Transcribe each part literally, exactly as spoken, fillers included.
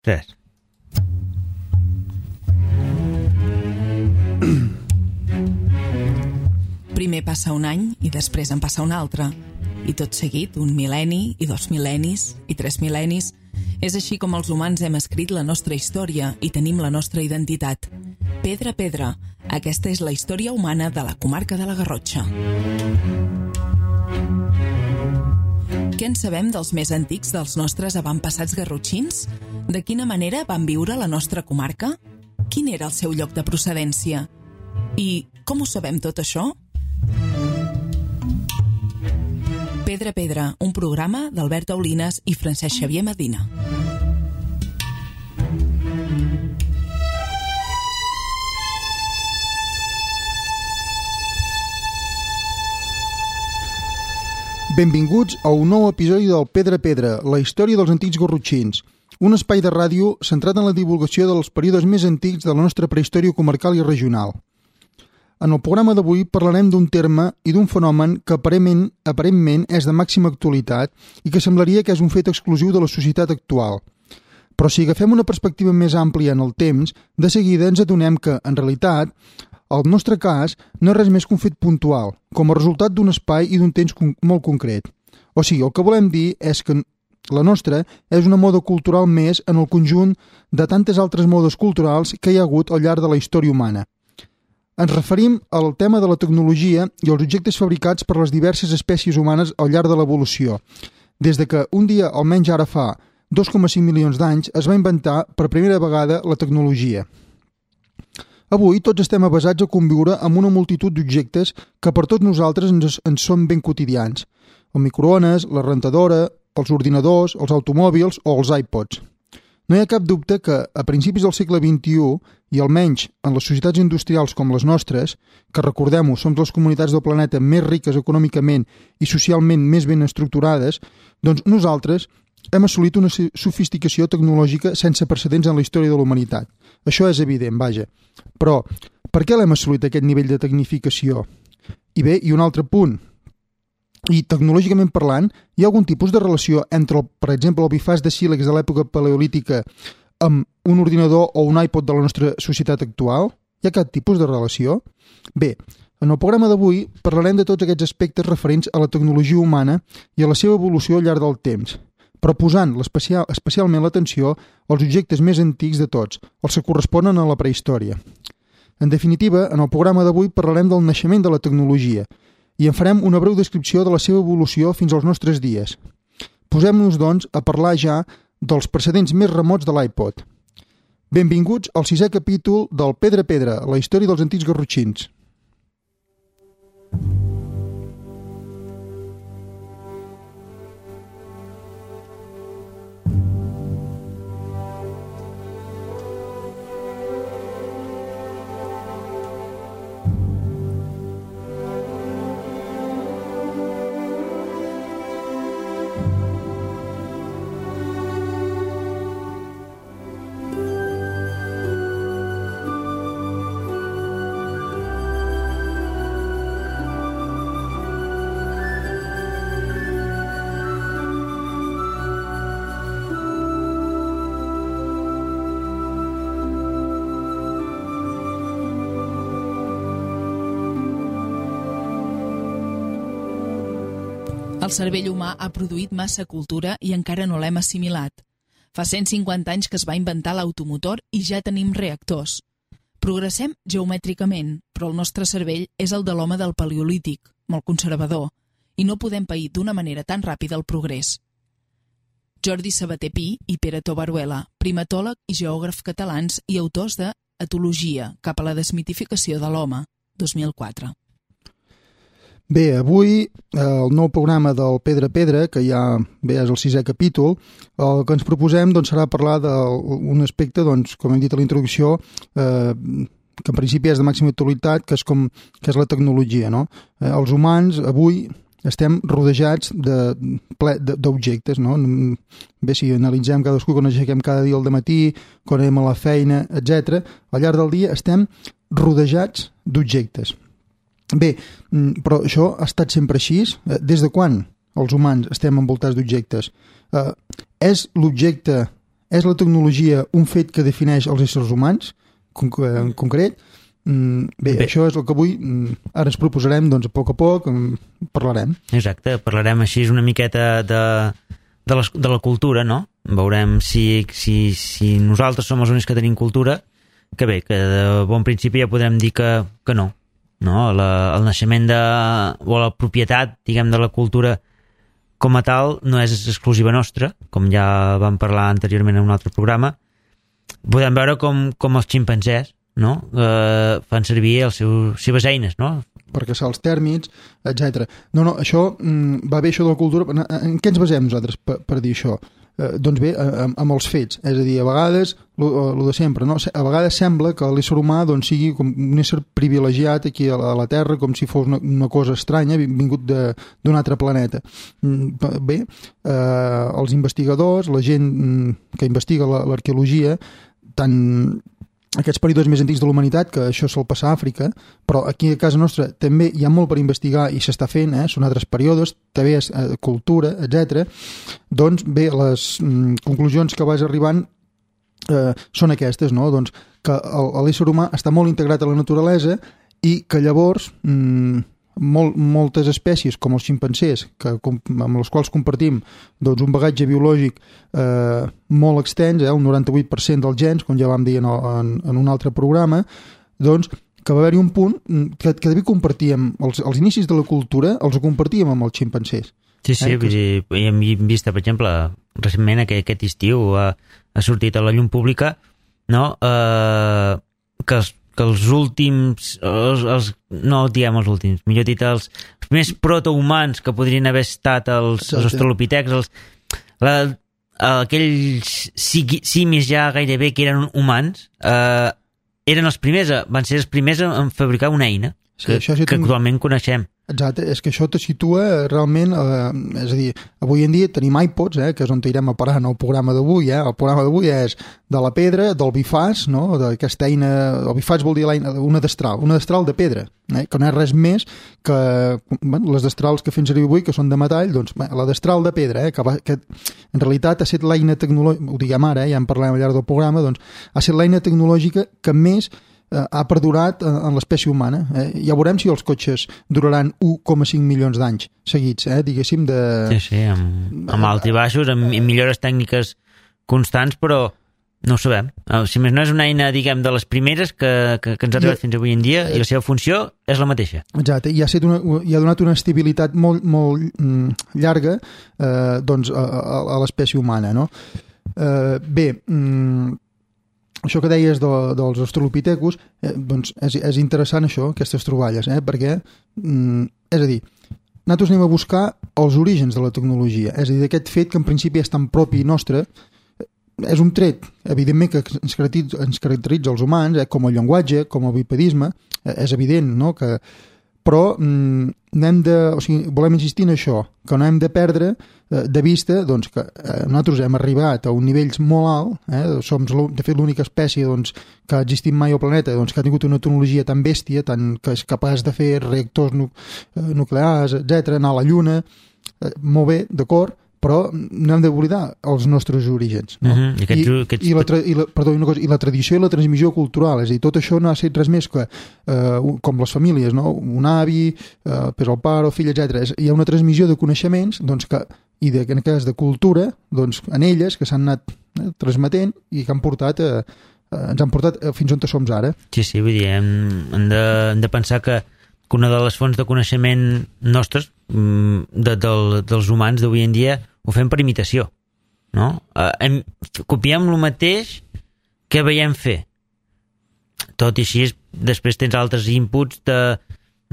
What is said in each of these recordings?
Tres. Primer passa un any i després en passa un altre. I tot seguit, un mil·lenni, i dos mil·lennis, i tres mil·lennis. És així com els humans hem escrit la nostra història i tenim la nostra identitat. Pedra a pedra, aquesta és la història humana de la comarca de la Garrotxa. Què en sabem dels més antics dels nostres avantpassats garrotxins? De quina manera van viure la nostra comarca? Quin era el seu lloc de procedència? I com ho sabem tot això? Pedra a pedra, un programa d'Albert Aulines i Francesc Xavier Medina. Benvinguts a un nou episodi del Pedra a pedra, la història dels antics garrotxins, un espai de ràdio centrat en la divulgació dels períodes més antics de la nostra prehistòria comarcal i regional. En el programa d'avui parlarem d'un terme i d'un fenomen que aparentment, aparentment és de màxima actualitat i que semblaria que és un fet exclusiu de la societat actual. Però si agafem una perspectiva més àmplia en el temps, de seguida ens adonem que, en realitat, el nostre cas no és res més que un fet puntual, com a resultat d'un espai i d'un temps con- molt concret. O sigui, el que volem dir és que la nostra és una moda cultural més en el conjunt de tantes altres modes culturals que hi ha hagut al llarg de la història humana. Ens referim al tema de la tecnologia i els objectes fabricats per les diverses espècies humanes al llarg de l'evolució, des de que un dia, almenys ara fa dos coma cinc milions d'anys, es va inventar per primera vegada la tecnologia. Avui tots estem avesats a conviure amb una multitud d'objectes que per tots nosaltres ens, ens són ben quotidians. El microones, la rentadora, els ordinadors, els automòbils o els iPods. No hi ha cap dubte que, a principis del segle vint-i-u, i almenys en les societats industrials com les nostres, que recordem-ho, som les comunitats del planeta més riques econòmicament i socialment més ben estructurades, doncs nosaltres hem assolit una sofisticació tecnològica sense precedents en la història de la humanitat. Això és evident, vaja. Però, per què l'hem assolit aquest nivell de tecnificació? I bé, i un altre punt. I tecnològicament parlant, hi ha algun tipus de relació entre, el, per exemple, el bifàs de sílex de l'època paleolítica amb un ordinador o un iPod de la nostra societat actual? Hi ha cap tipus de relació? Bé, en el programa d'avui parlarem de tots aquests aspectes referents a la tecnologia humana i a la seva evolució al llarg del temps, però posant especial, especialment l'atenció als objectes més antics de tots, els que corresponen a la prehistòria. En definitiva, en el programa d'avui parlarem del naixement de la tecnologia i en farem una breu descripció de la seva evolució fins als nostres dies. Posem-nos, doncs, a parlar ja dels precedents més remots de l'iPod. Benvinguts al sisè capítol del Pedra a pedra, la història dels antics garrotxins. El cervell humà ha produït massa cultura i encara no l'hem assimilat. Fa cent cinquanta anys que es va inventar l'automotor i ja tenim reactors. Progressem geomètricament, però el nostre cervell és el de l'home del paleolític, molt conservador, i no podem pair d'una manera tan ràpida el progrés. Jordi Sabater Pi i Pere Tobaruela, primatòleg i geògraf catalans i autors de Etologia, cap a la desmitificació de l'home, dos mil quatre. Bé, avui el nou programa del Pedra a pedra, que ja bé, és el sisè capítol, el que ens proposem doncs, serà parlar d'un aspecte, doncs, com hem dit a la introducció, eh, que en principi és de màxima actualitat, que és, com, que és la tecnologia. No? Eh, els humans avui estem rodejats d'objectes. No? Bé, si analitzem cadascú quan aixequem cada dia al dematí, quan anem a la feina, etcètera, al llarg del dia estem rodejats d'objectes. Bé, però això ha estat sempre així? Des de quan els humans estem envoltats d'objectes? Eh, és l'objecte És la tecnologia un fet que defineix els éssers humans, en concret? Bé, Bé, això és el que avui ara ens proposarem, doncs a poc a poc parlarem. Exacte, parlarem així una miqueta de, de, la, de la cultura, no? Veurem si, si, si nosaltres som els únics que tenim cultura, que bé, que de bon principi ja podrem dir que, que no. no? La, el naixement de, o la propietat, diguem, de la cultura com a tal no és exclusiva nostra, com ja vam parlar anteriorment en un altre programa. Podem veure com, com els ximpanzés, no? Eh, fan servir les seves eines, no? Per caçar els tèrmits, etcètera. No, no, això mm, va bé, això de la cultura. En, en què ens basem nosaltres per, per dir això? Eh, doncs bé, amb, amb els fets. És a dir, a vegades, el de sempre, no? A vegades sembla que l'ésser humà doncs, sigui com un ésser privilegiat aquí a la, a la Terra, com si fos una, una cosa estranya, vingut d'un altre planeta. Bé, eh, els investigadors, la gent que investiga l'arqueologia, tant aquests períodes més antics de la humanitat, que això sol passar a Àfrica, però aquí a casa nostra també hi ha molt per investigar i s'està fent, eh? Són altres períodes, també és eh, cultura, etcètera. Doncs bé, les mm, conclusions que vas arribant eh, són aquestes, no? Doncs que l'ésser humà està molt integrat a la naturalesa i que llavors mm, molt, moltes espècies, com els ximpanzés, que, amb les quals compartim doncs, un bagatge biològic eh, molt extens, eh, un noranta-vuit per cent dels gens, com ja vam dir en, en, en un altre programa, doncs que va haver-hi un punt que, que devia compartíem, els, els inicis de la cultura els compartíem amb els ximpanzés. Sí, sí, eh, vull dir, hem vist, per exemple, recentment aquest, aquest estiu ha, ha sortit a la llum pública, no?, eh, que els que els últims, els, els, no diem els últims, millor dit, els més protohumans que podrien haver estat els, els australopitecs, els, la, aquells simis ja gairebé que eren humans, eh, eren els primers, van ser els primers en fabricar una eina que, sí, sí que tinc... actualment coneixem. Exacte, és que això te situa realment, eh, és a dir, avui en dia tenim iPods, eh, que és on irem a parar en el programa d'avui, eh? El programa d'avui és de la pedra, del bifàs, no?, d'aquesta eina, el bifàs vol dir l'eina, una destral, una destral de pedra, eh? Que no és res més que bueno, les destrals que fem servir avui, que són de metall, doncs bé, la destral de pedra, eh, que, va, que en realitat ha estat l'eina tecnològica, ho diguem ara, eh, ja en parlem al llarg del programa, doncs ha estat l'eina tecnològica que més ha perdurat en l'espècie humana. Eh? Ja veurem si els cotxes duraran u coma cinc milions d'anys seguits, eh? Diguéssim, de... Sí, sí, amb, amb alt i baixos, amb, amb millores tècniques constants, però no ho sabem. Si més no és una eina, diguem, de les primeres que, que, que ens ha arribat fins avui en dia, i la seva funció és la mateixa. Exacte, i ha, set una, i ha donat una estabilitat molt, molt mm, llarga eh, doncs, a, a, a l'espècie humana, no? Eh, bé, mm, això que deies de, dels australopitecus, eh, doncs és, és interessant això, aquestes troballes, eh? Perquè, mm, és a dir, nosaltres anem a buscar els orígens de la tecnologia, és a dir, d'aquest fet que en principi és tan propi nostre, és un tret, evidentment, que ens caracteritza, ens caracteritza els humans, eh? Com el llenguatge, com el bipedisme, eh, és evident, no?, que però mm, n'hem de, o sigui, volem insistir en això, que no hem de perdre eh, de vista doncs, que eh, nosaltres hem arribat a un nivell molt alt, eh, som de fet l'única espècie doncs, que ha existit mai al planeta doncs, que ha tingut una tecnologia tan bèstia, tan, que és capaç de fer reactors nu eh, nuclears, etcètera, anar a la Lluna, eh, molt bé, d'acord, però no hem d'oblidar els nostres orígens, no? Uh-huh. I, aquests, I, aquests... i, la tra i, la, perdó, una cosa, i la tradició i la transmissió cultural, és a dir, tot això no ha estat res més que eh, com les famílies, no? Un avi, eh, pues el pare, el fill, etcètera. Hi ha una transmissió de coneixements doncs, que, i de, en aquest cas de cultura doncs, en elles que s'han anat eh, transmetent i que han portat eh, eh, ens han portat eh, fins on som ara. Sí, sí, vull dir, hem, hem, de, hem de pensar que que una de les fonts de coneixement nostres, de, de, dels humans d'avui en dia, ho fem per imitació, no? Eh, hem, copiem el mateix que veiem fer. Tot i així, després tens altres inputs de,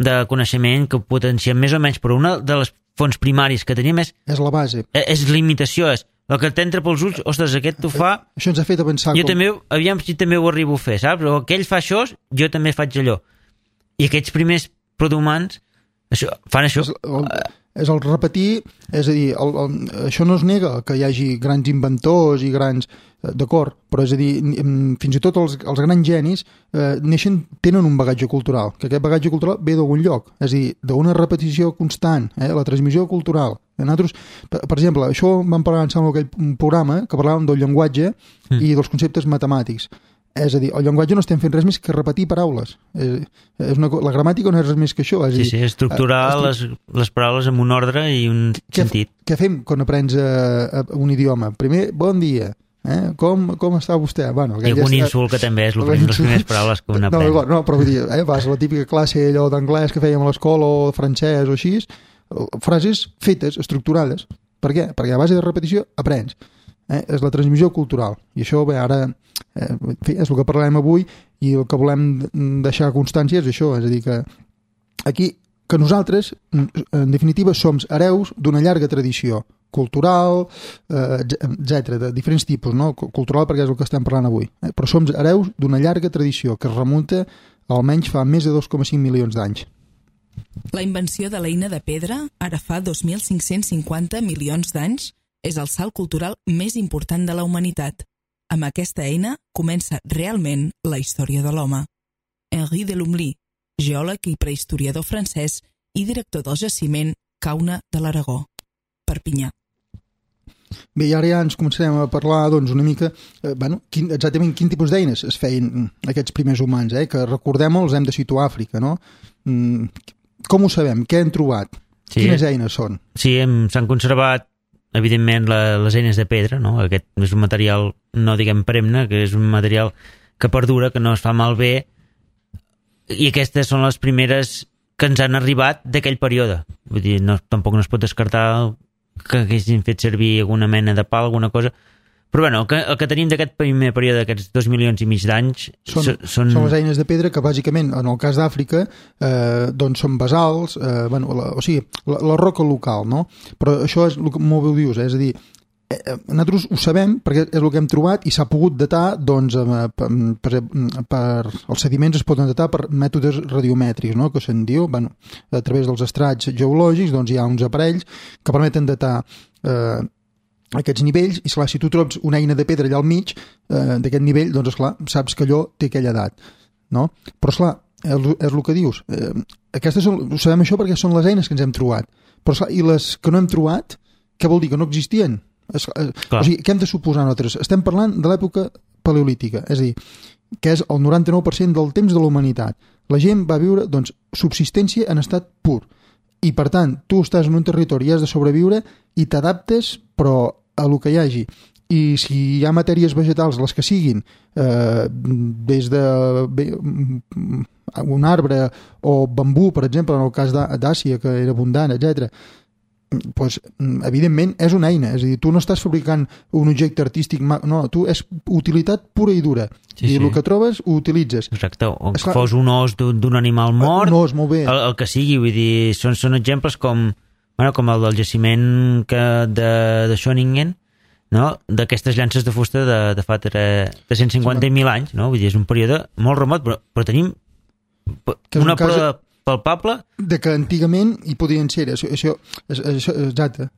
de coneixement que potenciem més o menys, però una de les fonts primàries que tenim és... És la base. És, és l'imitació, és el que t'entra pels ulls, ostres, aquest t'ho fa... Això ens ha fet avançar... Jo com... també, aviam si també ho arribo a fer, saps? O aquell fa això, jo també faig allò. I aquests primers protohumans això, fan això. És, el, és el repetir, és a dir, el, el, això no es nega que hi hagi grans inventors i grans, d'acord, però és a dir, fins i tot els, els grans genis eh, neixen, tenen un bagatge cultural, que aquest bagatge cultural ve d'algun lloc, és a dir, d'una repetició constant, eh, la transmissió cultural. Nosaltres, per, per exemple, això vam parlar en aquell programa que parlàvem del llenguatge mm. i dels conceptes matemàtics. És a dir, el llenguatge no estem fent res més que repetir paraules. És, és una, la gramàtica no és res més que això. És sí, dir, sí, estructurar uh, les, les paraules amb un ordre i un què, sentit. Què fem quan aprens a, a un idioma? Primer, bon dia. Eh? Com, com està vostè? Bueno, I algun ja insult que també és el, les primeres paraules que un aprèn. No, no, però vull dir, eh, vas a la típica classe allò d'anglès que fèiem a l'escola o francès o així, frases fetes, estructurades. Per què? Perquè a base de repetició aprens. Eh? És la transmissió cultural. I això, bé, ara eh, és el que parlem avui i el que volem deixar constància és això, és a dir, que aquí, que nosaltres, en definitiva, som hereus d'una llarga tradició cultural, eh, etcètera, de diferents tipus, no? Cultural perquè és el que estem parlant avui, eh? Però som hereus d'una llarga tradició que es remunta almenys fa més de dos coma cinc milions d'anys. La invenció de l'eina de pedra, ara fa dos mil cinc-cents cinquanta milions d'anys, és el salt cultural més important de la humanitat. Amb aquesta eina comença realment la història de l'home. Henri de Lumley, geòleg i prehistoriador francès i director del jaciment Cauna de l'Aragó, Perpinyà. Bé, i ara ja ens començarem a parlar doncs, una mica, eh, bueno, quin, exactament quin tipus d'eines es feien aquests primers humans, eh? Que recordem els hem de situar a Àfrica, no? Mm, com ho sabem? Què han trobat? Sí, quines eines són? Sí, s'han conservat evidentment la, les eines de pedra, no? Aquest és un material, no diguem perenne, que és un material que perdura, que no es fa malbé, i aquestes són les primeres que ens han arribat d'aquell període. Vull dir, no, tampoc no es pot descartar que haguessin fet servir alguna mena de pal, alguna cosa, però bueno, el que, el que tenim d'aquest primer període, d'aquests dos milions i mig d'anys són, són... són les eines de pedra que bàsicament, en el cas d'Àfrica, eh, doncs són basals, eh, bueno, la, o sigui, la, la roca local, no? Però això és el que molt bé ho dius, eh? És a dir, eh, nosaltres ho sabem perquè és el que hem trobat i s'ha pogut datar, doncs, eh, per, per, per, els sediments es poden datar per mètodes radiomètrics, no? Que se'n diu, bueno, a través dels estrats geològics, doncs hi ha uns aparells que permeten datar eh, aquests nivells, i esclar, si tu trobes una eina de pedra allà al mig eh, d'aquest nivell, doncs esclar, saps que allò té aquella edat, no? Però esclar, és, és el que dius, eh, aquestes són, ho sabem això perquè són les eines que ens hem trobat, però esclar, i les que no hem trobat, què vol dir? Que no existien? Es, eh, o sigui, què hem de suposar nosaltres? Estem parlant de l'època paleolítica, és a dir, que és el noranta-nou per cent del temps de la humanitat. La gent va viure, doncs, subsistència en estat pur. I, per tant, tu estàs en un territori i has de sobreviure i t'adaptes, però a lo que hi hagi. I si hi ha matèries vegetals, les que siguin, eh, des de bé, un arbre o bambú, per exemple, en el cas d'Àsia, que era abundant, etcètera, pues, evidentment és una eina, és a dir, tu no estàs fabricant un objecte artístic, no, tu és utilitat pura i dura, sí, i sí. El que trobes ho utilitzes. Exacte, o que fos un os d'un animal mort, un os, molt bé. El, el que sigui, vull dir, són, són exemples com, bueno, com el del jaciment que de, de Schoningen, no? D'aquestes llances de fusta de, de fa tres-cents cinquanta mil anys, no? Vull dir, és un període molt remot, però, però tenim una prova palpable de que antigament hi podien ser, això, això, això exacte.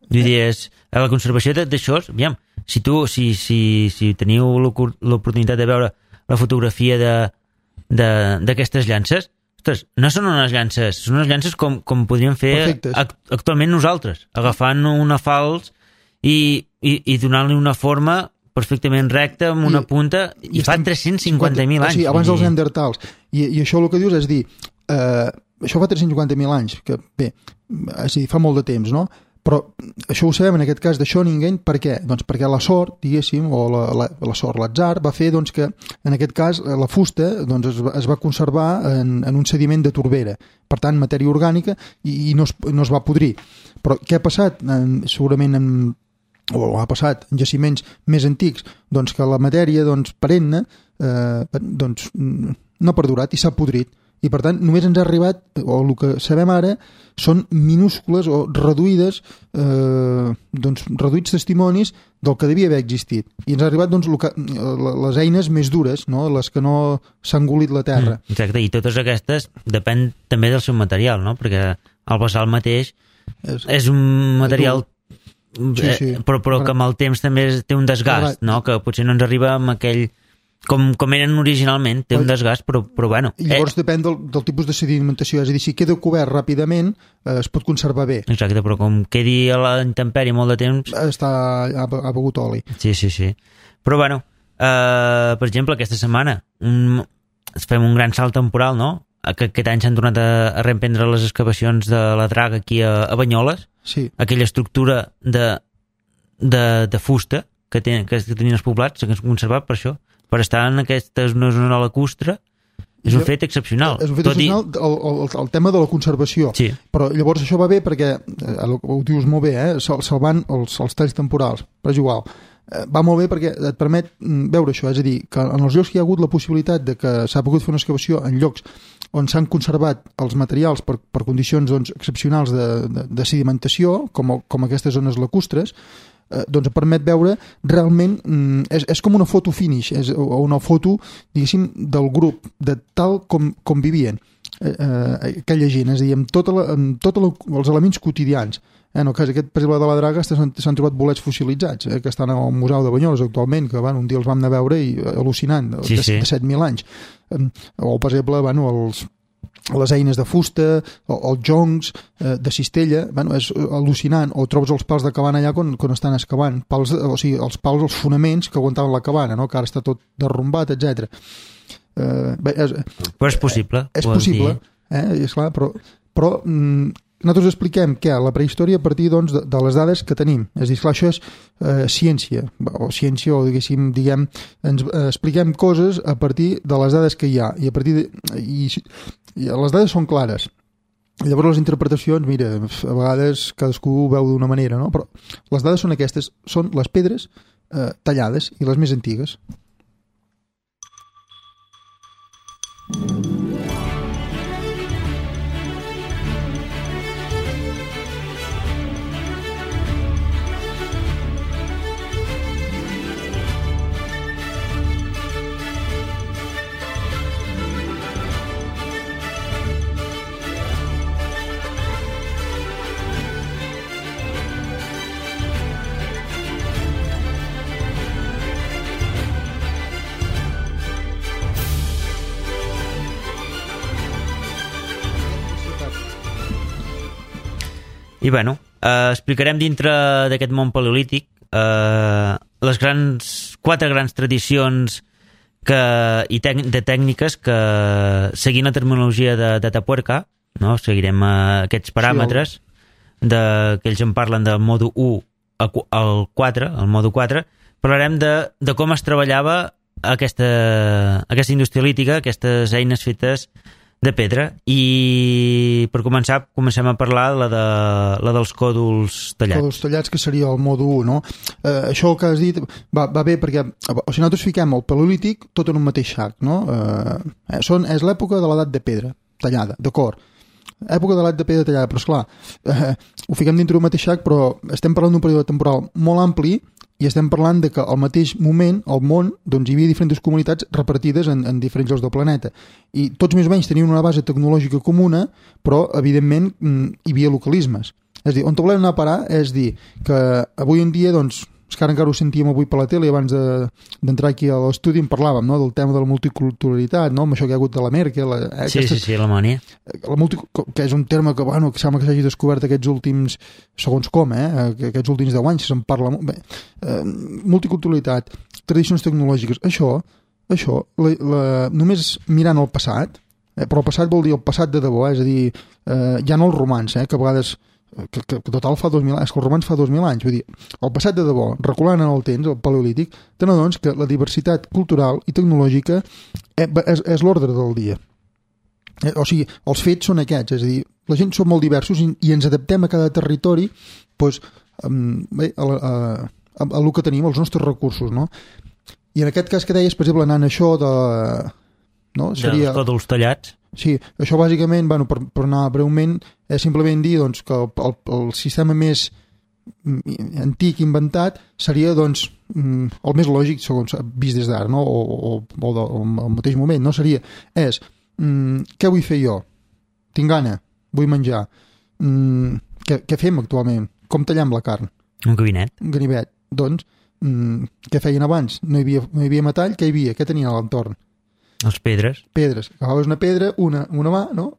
Vull dir, és, a la conservació d'això, aviam, si tu, si, si, si teniu l'oportunitat de veure la fotografia d'aquestes llances, ostres, no són unes llances, són unes llances com, com podríem fer act, actualment nosaltres, agafant una falç i, i, i donant-li una forma perfectament recta, amb una I, punta, i, i fa tres-cents cinquanta mil anys. Sí, abans dels neandertals. I, i això el que dius és dir, eh, això fa tres-cents cinquanta mil anys, que bé, és a dir, fa molt de temps, no? Però això ho sabem en aquest cas de Schoningen, per què? Doncs perquè la sort, diguéssim, o la, la, la sort, l'atzar, va fer doncs, que en aquest cas la fusta doncs, es, va, es va conservar en, en un sediment de torbera, per tant matèria orgànica, i, i no, es, no es va podrir. Però què ha passat? En, segurament en, o ha passat en jaciments més antics, doncs que la matèria doncs, perenne eh, doncs, no ha perdurat i s'ha podrit. I per tant només ens ha arribat, o el que sabem ara són minúscules o reduïdes eh, doncs, reduïts testimonis del que devia haver existit, i ens ha arribat doncs, que, les eines més dures, no? Les que no s'ha engolit la terra. Exacte, i totes aquestes depèn també del seu material, no? Perquè el basalt mateix És, és un material sí, sí. Eh, però, però que amb el temps també té un desgast, no? Que potser no ens arriba amb aquell com, com eren originalment, té un desgast, però, però bueno. I llavors eh... depèn del, del tipus de sedimentació, és a dir, si queda cobert ràpidament eh, es pot conservar bé. Exacte, però com quedi a la intempèrie molt de temps... Està, ha, ha begut oli. Sí, sí, sí. Però bueno, eh, per exemple, aquesta setmana un, fem un gran salt temporal, no? Que aquest any s'han tornat a, a reemprendre les excavacions de la draga aquí a, a Banyoles, sí. Aquella estructura de, de, de fusta que, ten, que tenien els poblats, que s'ha conservat per això, per estar en aquesta zona lacustre, és un fet excepcional. És un fet excepcional i... el, el, el tema de la conservació. Sí. Però llavors això va bé perquè, eh, ho dius molt bé, eh, salvant els, els talls temporals, però és igual. Eh, va molt bé perquè et permet veure això, és a dir, que en els llocs que hi ha hagut la possibilitat de que s'ha pogut fer una excavació en llocs on s'han conservat els materials per, per condicions doncs, excepcionals de, de, de sedimentació, com, com aquestes zones lacustres, eh, doncs permet veure realment, mm, és, és com una foto finish, és una foto, diguéssim, del grup, de tal com, com vivien eh, eh, aquella gent, és a dir, amb tots tot els elements quotidians. Eh, en el cas aquest, per exemple, de la draga s'han trobat bolets fossilitzats, eh, que estan al Museu de Banyoles actualment, que bueno, un dia els vam anar a veure i al·lucinant, sí, de, sí. de set mil anys. Eh, o, per exemple, bueno, els les eines de fusta, els joncs eh, de cistella, bueno, és al·lucinant. O trobes els pals de cabana allà quan, quan estan excavant, pals, o sigui, els pals, els fonaments que aguantaven la cabana, no? Que ara està tot derrumbat, etcètera. Eh, és, però és possible. Eh, és possible, eh, és clar, però, però mm, nosaltres expliquem que la prehistòria a partir doncs, de, de les dades que tenim. És a dir, clar, això és eh, ciència, o ciència, o diguéssim, diguem, ens eh, expliquem coses a partir de les dades que hi ha, i a partir de... I, i les dades són clares. Llavors les interpretacions, mira, a vegades cadascú ho veu d'una manera, no? Però les dades són aquestes, són les pedres eh, tallades i les més antigues. I bueno, eh, explicarem dintre d'aquest món paleolític eh, les grans, quatre grans tradicions que, i tec, de tècniques que, seguint la terminologia de, de Tapuerca, no? Seguirem eh, aquests paràmetres, sí, de, que ells en parlen del mòdul u al quatre, el mòdul quatre, parlarem de, de com es treballava aquesta, aquesta indústria lítica, aquestes eines fetes de pedra, i per començar comencem a parlar la, de, la dels còdols tallats. Còdols tallats, que seria el mòdul u, no? Eh, això que has dit va, va bé perquè, o sigui, nosaltres fiquem el paleolític tot en un mateix sac, no? Eh, són, és l'època de l'edat de pedra tallada, d'acord. Època de l'edat de pedra tallada, però esclar, eh, ho fiquem dintre d'un mateix sac, però estem parlant d'un període temporal molt ampli i estem parlant de que al mateix moment al món doncs, hi havia diferents comunitats repartides en, en diferents llocs del planeta, i tots més o menys tenien una base tecnològica comuna, però evidentment hi havia localismes. És a dir, on volem anar a parar és dir que avui en dia, doncs, és que ara encara ho sentíem avui per la tele, abans d'entrar de, aquí a l'estudi en parlàvem, no?, del tema de la multiculturalitat, no?, amb això que hi ha hagut de la Merkel, eh, sí, aquestes, sí, sí, Alemanya, la multi, que és un terme que, bueno, que sembla que s'hagi descobert aquests últims, segons com, eh, aquests últims deu anys se'n parla molt bé. Eh, multiculturalitat, tradicions tecnològiques, això, això la, la, només mirant el passat, eh, però el passat vol dir el passat de debò, és a dir, eh, ja no els romans, eh, que a vegades Que, que, que total fa dos mil anys, és que els romans fa dos mil anys, vull dir, el passat de debò, reculant en el temps, el paleolític, te n'adones que la diversitat cultural i tecnològica és, és l'ordre del dia. Eh, o sigui, els fets són aquests, és a dir, la gent som molt diversos i, i ens adaptem a cada territori, doncs, um, bé, a, a, a, a lo que tenim, als nostres recursos, no? I en aquest cas que deies, per exemple, anant això de... No? Seria... dels còdols tallats. Sí, això bàsicament, bueno, per, per anar breument, és simplement dir doncs, que el, el, el sistema més antic inventat seria doncs, el més lògic, segons vist des d'ara, no? o, o, o, de, o al mateix moment, no? Seria, és, mm, què vull fer jo? Tinc gana, vull menjar. Mm, què, què fem actualment? Com tallem la carn? Un gabinet. Un ganivet. Doncs, mm, què feien abans? No hi havia, no hi havia metall, què hi havia? Què tenien a l'entorn? Els pedres. Pedres. Agafaves una pedra, una amb una mà, no?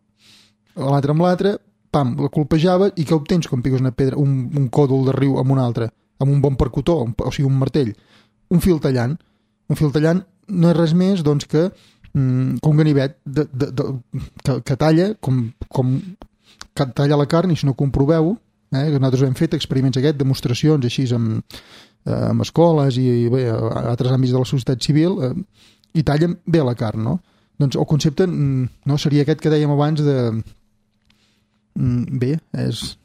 L'altra amb l'altra, pam, la colpejaves i què obtens quan piques una pedra, un, un còdol de riu amb un altre, amb un bon percutor, un, o sigui, un martell? Un fil tallant. Un fil tallant no és res més doncs, que, mm, que un ganivet de, de, de, que, que talla com, com que talla la carn, i si no comproveu, eh, que nosaltres hem fet experiments aquests, demostracions així amb, eh, amb escoles i, i bé, a altres àmbits de la societat civil, eh, i tallen bé la carn, no? Doncs el concepte no, seria aquest que dèiem abans de... Bé, és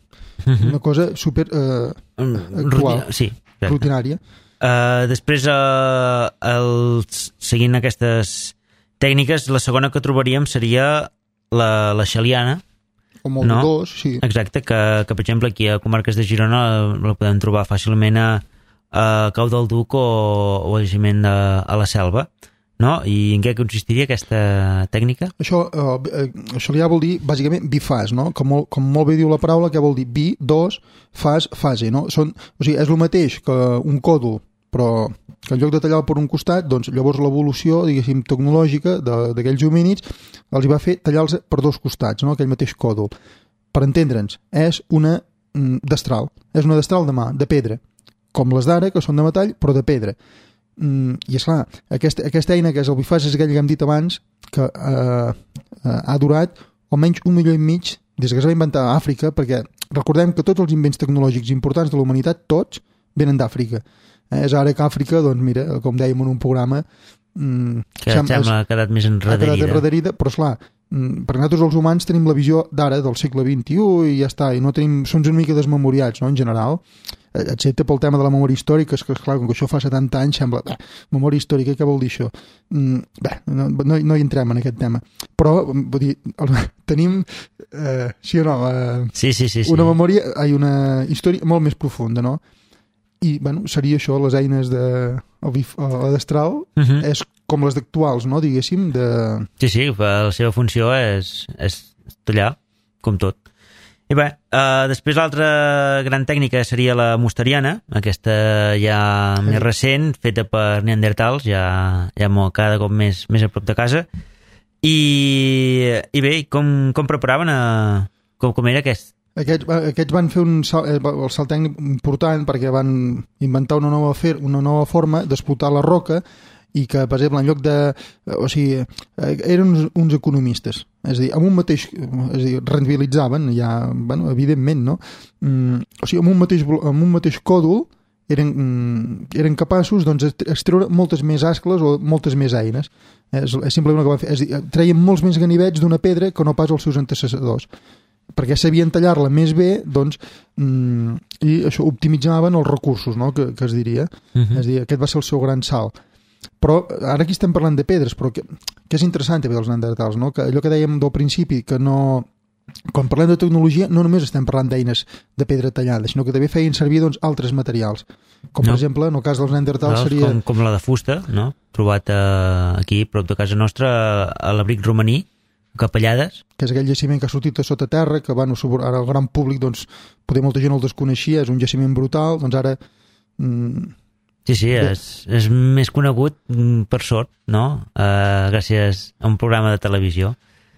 una cosa super eh, actual, sí, rutinària. Uh, després, uh, el, seguint aquestes tècniques, la segona que trobaríem seria la, la xaliana. O molt no? dos, sí. Exacte, que, que per exemple aquí a comarques de Girona la podem trobar fàcilment a, a Cau del Duc o, o a jaciment de, a la Selva, no? I en què consistiria aquesta tècnica? Això, eh, això ja vol dir bàsicament bifàs, no? Com molt, com molt bé diu la paraula, que vol dir bi, dos, fas, fase, no? Són, o sigui, és el mateix que un còdol, però que en lloc de tallar per un costat, doncs llavors l'evolució, diguéssim, tecnològica d'aquells homínids els hi va fer tallar-los per dos costats, no? Aquell mateix còdol. Per entendre'ns, és una mm, destral, és una destral de mà, de pedra, com les d'ara, que són de metall, però de pedra. Mm, i esclar, aquesta, aquesta eina que és el bifàs és aquell que hem dit abans que eh, eh, ha durat almenys un milió i mig des que es va inventar a Àfrica, perquè recordem que tots els invents tecnològics importants de la humanitat, tots venen d'Àfrica. Eh, és ara que Àfrica, doncs mira, com dèiem en un programa, mm, que sembla que ha quedat més enrederida. Ha quedat enrederida, però esclar, mm, perquè nosaltres els humans tenim la visió d'ara, del segle vint-i-u, i ja està, i no tenim, som una mica desmemoriats, no?, en general, excepte pel tema de la memòria històrica, és que, esclar, com que això fa setanta anys, sembla, bé, memòria històrica, què vol dir això? Mm, bé, no, no, no hi entrem en aquest tema. Però, vull dir, tenim, eh, sí o no, eh, sí, sí, sí, sí. una memòria, ai, una història molt més profunda, no? I, bueno, seria això, les eines de la destral, uh -huh. és com les d'actuals, no?, diguéssim, de... Sí, sí, la seva funció és, és tallar, com tot. I bé, uh, després l'altra gran tècnica seria la mosteriana, aquesta ja més recent, feta per neandertals, ja, ja molt, cada cop més, més a prop de casa. I, i bé, com, com preparaven, a, com, com era aquest? Aquests, aquests van fer un salt, el salt tècnic important perquè van inventar una nova, fer, una nova forma d'explotar la roca i que, per exemple, en lloc de... O sigui, eren uns, uns economistes. És a dir, amb un mateix... És a dir, rendibilitzaven, ja, bueno, evidentment, no? Mm, o sigui, amb un mateix, amb un mateix còdol eren, mm, eren capaços, doncs, extreure moltes més ascles o moltes més eines. És, és simplement el que van fer. És a dir, treien molts més ganivets d'una pedra que no pas els seus antecessors, perquè sabien tallar-la més bé, doncs, mm, i això optimitzaven els recursos, no?, que, que es diria. Uh-huh. És a dir, aquest va ser el seu gran salt. Però ara aquí estem parlant de pedres, però que, que és interessant també dels neandertals, no?, que allò que dèiem del principi, que no... Quan parlem de tecnologia no només estem parlant d'eines de pedra tallada, sinó que també feien servir, doncs, altres materials. Com, no. per exemple, en el cas dels neandertals no, seria... Com, com la de fusta, no?, trobat eh, aquí, prop de casa nostra, a l'abric romaní, Capellades. Que és aquell jaciment que ha sortit de sota terra, que bueno, ara el gran públic, doncs, poder molta gent el desconeixia, és un jaciment brutal, doncs ara... Mm, sí, sí, és, és més conegut per sort, no?, uh, gràcies a un programa de televisió.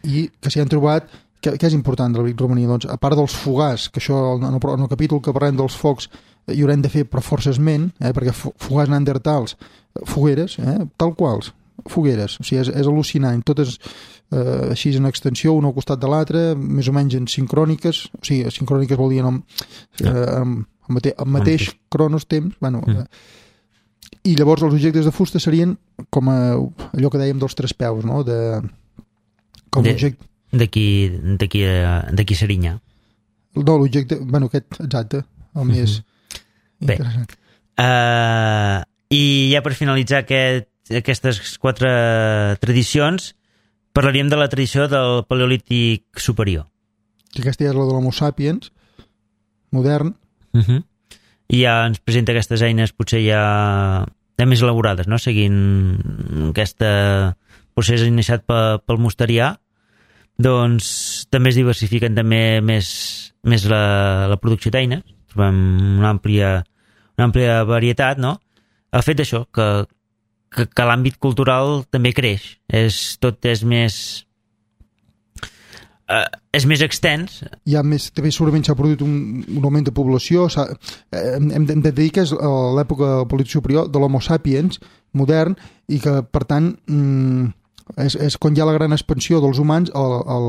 I que s'hi han trobat, que, que és important de l'abric romaní, doncs, a part dels fogars, que això en el, en el capítol que parlem dels focs hi haurem de fer per força esment, eh, perquè fogars neandertals, fogueres, eh, tal quals, fogueres, o sigui, és, és al·lucinant, totes eh, així en extensió, un al costat de l'altre, més o menys en sincròniques, o sigui, sincròniques vol dir en, eh, en, en, mate, en mateix cronos temps, bueno, mm. eh, i llavors els objectes de fusta serien com a, allò que dèiem dels tres peus, no?, de... Com de, objecte... D'aquí, d'aquí, d'aquí Serinyà. No, l'objecte, bueno, aquest, exacte, el més mm-hmm. interessant. Bé, uh, i ja per finalitzar aquest, aquestes quatre tradicions, parlaríem de la tradició del Paleolític superior. Que aquesta ja és la de l'Homo sapiens, modern. Uh-huh. I ja ens presenta aquestes eines potser ja, ja més elaborades, no?, seguint aquest procés iniciat pel, pel mosterià, doncs també es diversifiquen també més, més la, la producció d'eines, trobem una àmplia, una àmplia varietat, no? El fet d'això, que, que, que l'àmbit cultural també creix, és, tot és més... Uh, és més extens. Hi ha més, també segurament s'ha produït un, un augment de població. Hem, hem de dir que és l'època del polític superior de l'Homo sapiens modern i que, per tant, mm, és, és quan hi ha la gran expansió dels humans al, al,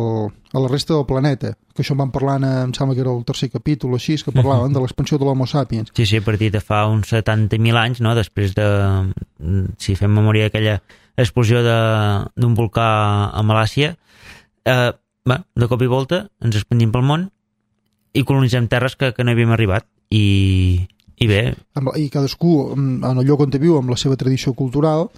a la resta del planeta. Que això en vam parlar, em sembla que era el tercer capítol o així, que parlaven uh-huh. de l'expansió de l'Homo sapiens. Sí, sí, a partir de fa uns setanta mil anys, no? Després de, si fem memòria d'aquella explosió d'un volcà a Malàisia, eh, Bé, de cop i volta ens expandim pel món i colonitzem terres que, que no havíem arribat i, i bé i cadascú en el lloc on viu amb la seva tradició cultural,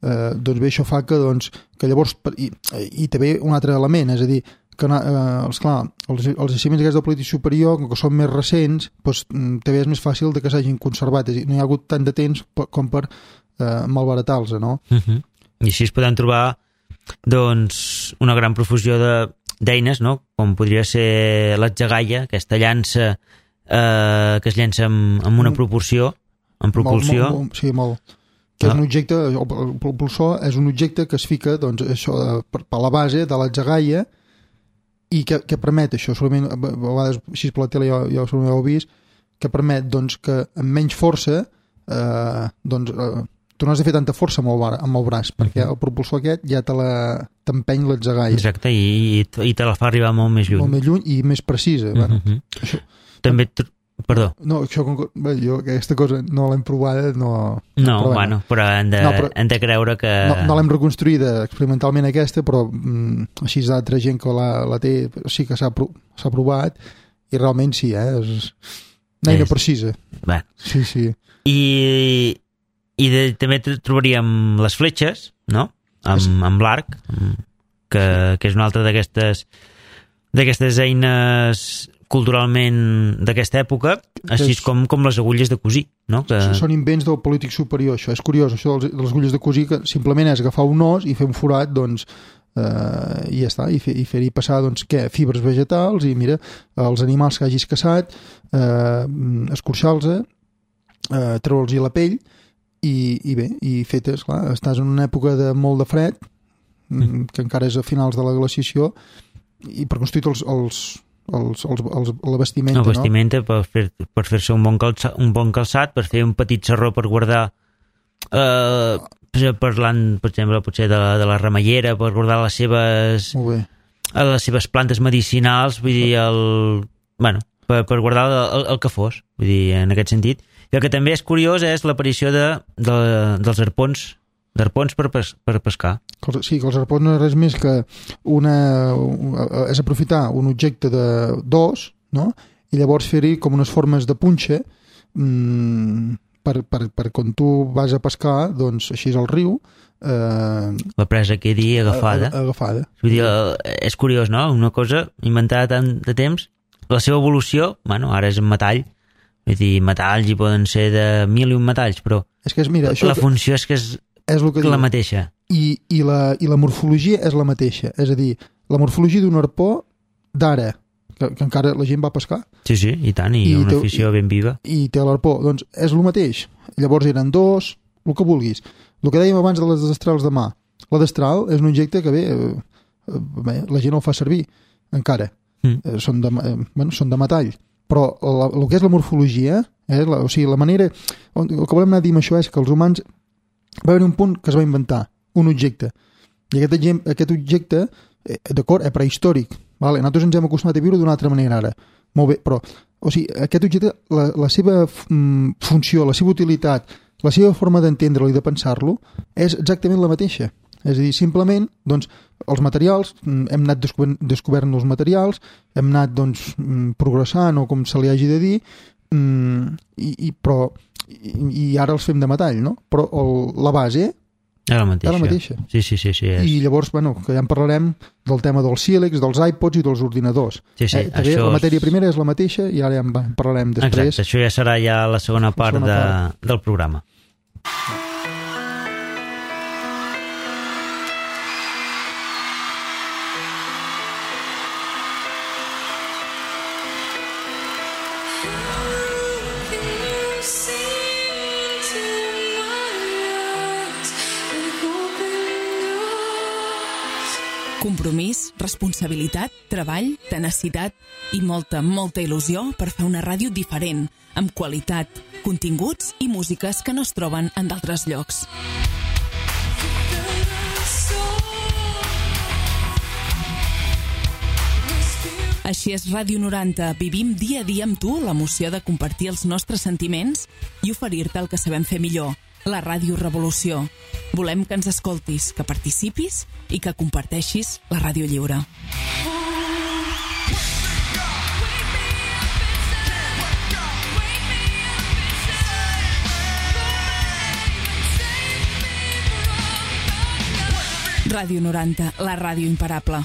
eh, doncs bé, això fa que, doncs, que llavors i, i també un altre element, és a dir que, eh, esclar, els, els jaciments aquests del polític superior, que són més recents, doncs, també és més fàcil de que s'hagin conservat, és a dir, no hi ha hagut tant de temps com per eh, malbaratar-los, no? Uh-huh. I així es poden trobar doncs una gran profusió de d'eines, no? Com podria ser l'atzagaia, aquesta llança eh, que es llença amb, amb una proporció, en propulsió. Molt, molt, sí, molt. Que és un objecte, el propulsor és un objecte que es fica, doncs, això, per, per la base de l'atzagaia i que, que permet això, solament, a vegades, així per la tele ja, ja ho heu vist, que permet, doncs, que amb menys força, eh, doncs, eh, tu no has de fer tanta força amb el, bar, amb el braç, perquè el propulsor aquest ja te la t'empeny l'atzagaia. Exacte, i, i te la fa arribar molt més lluny. Molt més lluny i més precisa. Uh-huh. Bueno, això, també, perdó. No, això, bé, jo aquesta cosa no l'hem provada, no... No, però, bueno, però hem de, no, però, hem de creure que... No, no l'hem reconstruïda experimentalment aquesta, però mm, així d'altra gent que la, la té, sí que s'ha provat, i realment sí, eh? És una eina precisa. Bé. Sí, sí. I... I de, també trobaríem les fletxes, no? Amb, amb l'arc, que, que és una altra d'aquestes d'aquestes eines culturalment d'aquesta època, així com, com les agulles de cosir, no? Que... Són invents del polític superior, això. És curiós, això de les agulles de cosir, que simplement és agafar un os i fer un forat, doncs, eh, i ja està, i, fer, i fer-hi passar, doncs, què? Fibres vegetals, i mira, els animals que hagis caçat, eh, escorxar-los, eh, treure'ls-hi la pell, I, i bé, i fetes, clar, estàs en una època de molt de fred, mm. que encara és a finals de la glaciació, i per construir els, els, els, els, els, la vestimenta, la vestimenta, no? per, fer, per fer-se un, bon calçat, un bon calçat, per fer un petit sarró per guardar, eh, parlant, per exemple, potser de la, de la remeiera, per guardar les seves, les seves plantes medicinals, vull dir, el, bueno, per, per guardar el, el que fos, vull dir, en aquest sentit. I el que també és curiós és l'aparició de, de, dels arpons, d'arpons per, pes, per pescar. Sí, que els arpons no és res més que una, és aprofitar un objecte d'os, no? I llavors fer-hi com unes formes de punxa mmm, per, per, per quan tu vas a pescar, doncs així és el riu. Eh, la presa quedi agafada. A, a, agafada. Vull dir, és curiós, no? Una cosa inventada tant de temps, la seva evolució, bueno, ara és en metall, vull dir, metalls hi poden ser de mil i un metalls, però és que és, mira, això la funció és que és, és que la diu. mateixa. I, i, la, I la morfologia és la mateixa. És a dir, la morfologia d'un arpó d'ara, que, que encara la gent va pescar. Sí, sí, i tant, i, I una té, afició ben viva. I té l'arpó. Doncs és el mateix. Llavors eren dos, el que vulguis. El que dèiem abans de les destrals de mà. La destral és un objecte que bé, eh, bé la gent el fa servir, encara. Mm. Eh, són, de, eh, bueno, són de metall. Però la, el que és la morfologia, eh, la, o sigui, la manera... El que volem anar a dir amb això és que els humans... Va haver un punt que es va inventar, un objecte. I aquest, aquest objecte, eh, d'acord, és prehistòric. Vale? Nosaltres ens hem acostumat a viure d'una altra manera ara. Molt bé, però... O sigui, aquest objecte, la, la seva mm, funció, la seva utilitat, la seva forma d'entendre-lo i de pensar-lo és exactament la mateixa. És a dir, simplement, doncs, els materials, hem anat descobert, descobert els materials, hem anat, doncs, progressant, o com se li hagi de dir, i, i, però, i, i ara els fem de metall, no? Però el, la base era la mateixa. Era la mateixa. Sí, sí, sí, sí, és. I llavors, bueno, que ja en parlarem del tema dels sílex, dels iPods i dels ordinadors. Sí, sí, eh, també això la matèria primera és la mateixa i ara ja en parlarem després. Exacte, això ja serà ja la segona part, la segona part. De, del programa. Compromís, responsabilitat, treball, tenacitat i molta, molta il·lusió per fer una ràdio diferent, amb qualitat, continguts i músiques que no es troben en d'altres llocs. Així és Ràdio noranta. Vivim dia a dia amb tu l'emoció de compartir els nostres sentiments i oferir-te el que sabem fer millor, la Ràdio Revolució. Volem que ens escoltis, que participis i que comparteixis la ràdio lliure. Ràdio noranta, la ràdio imparable.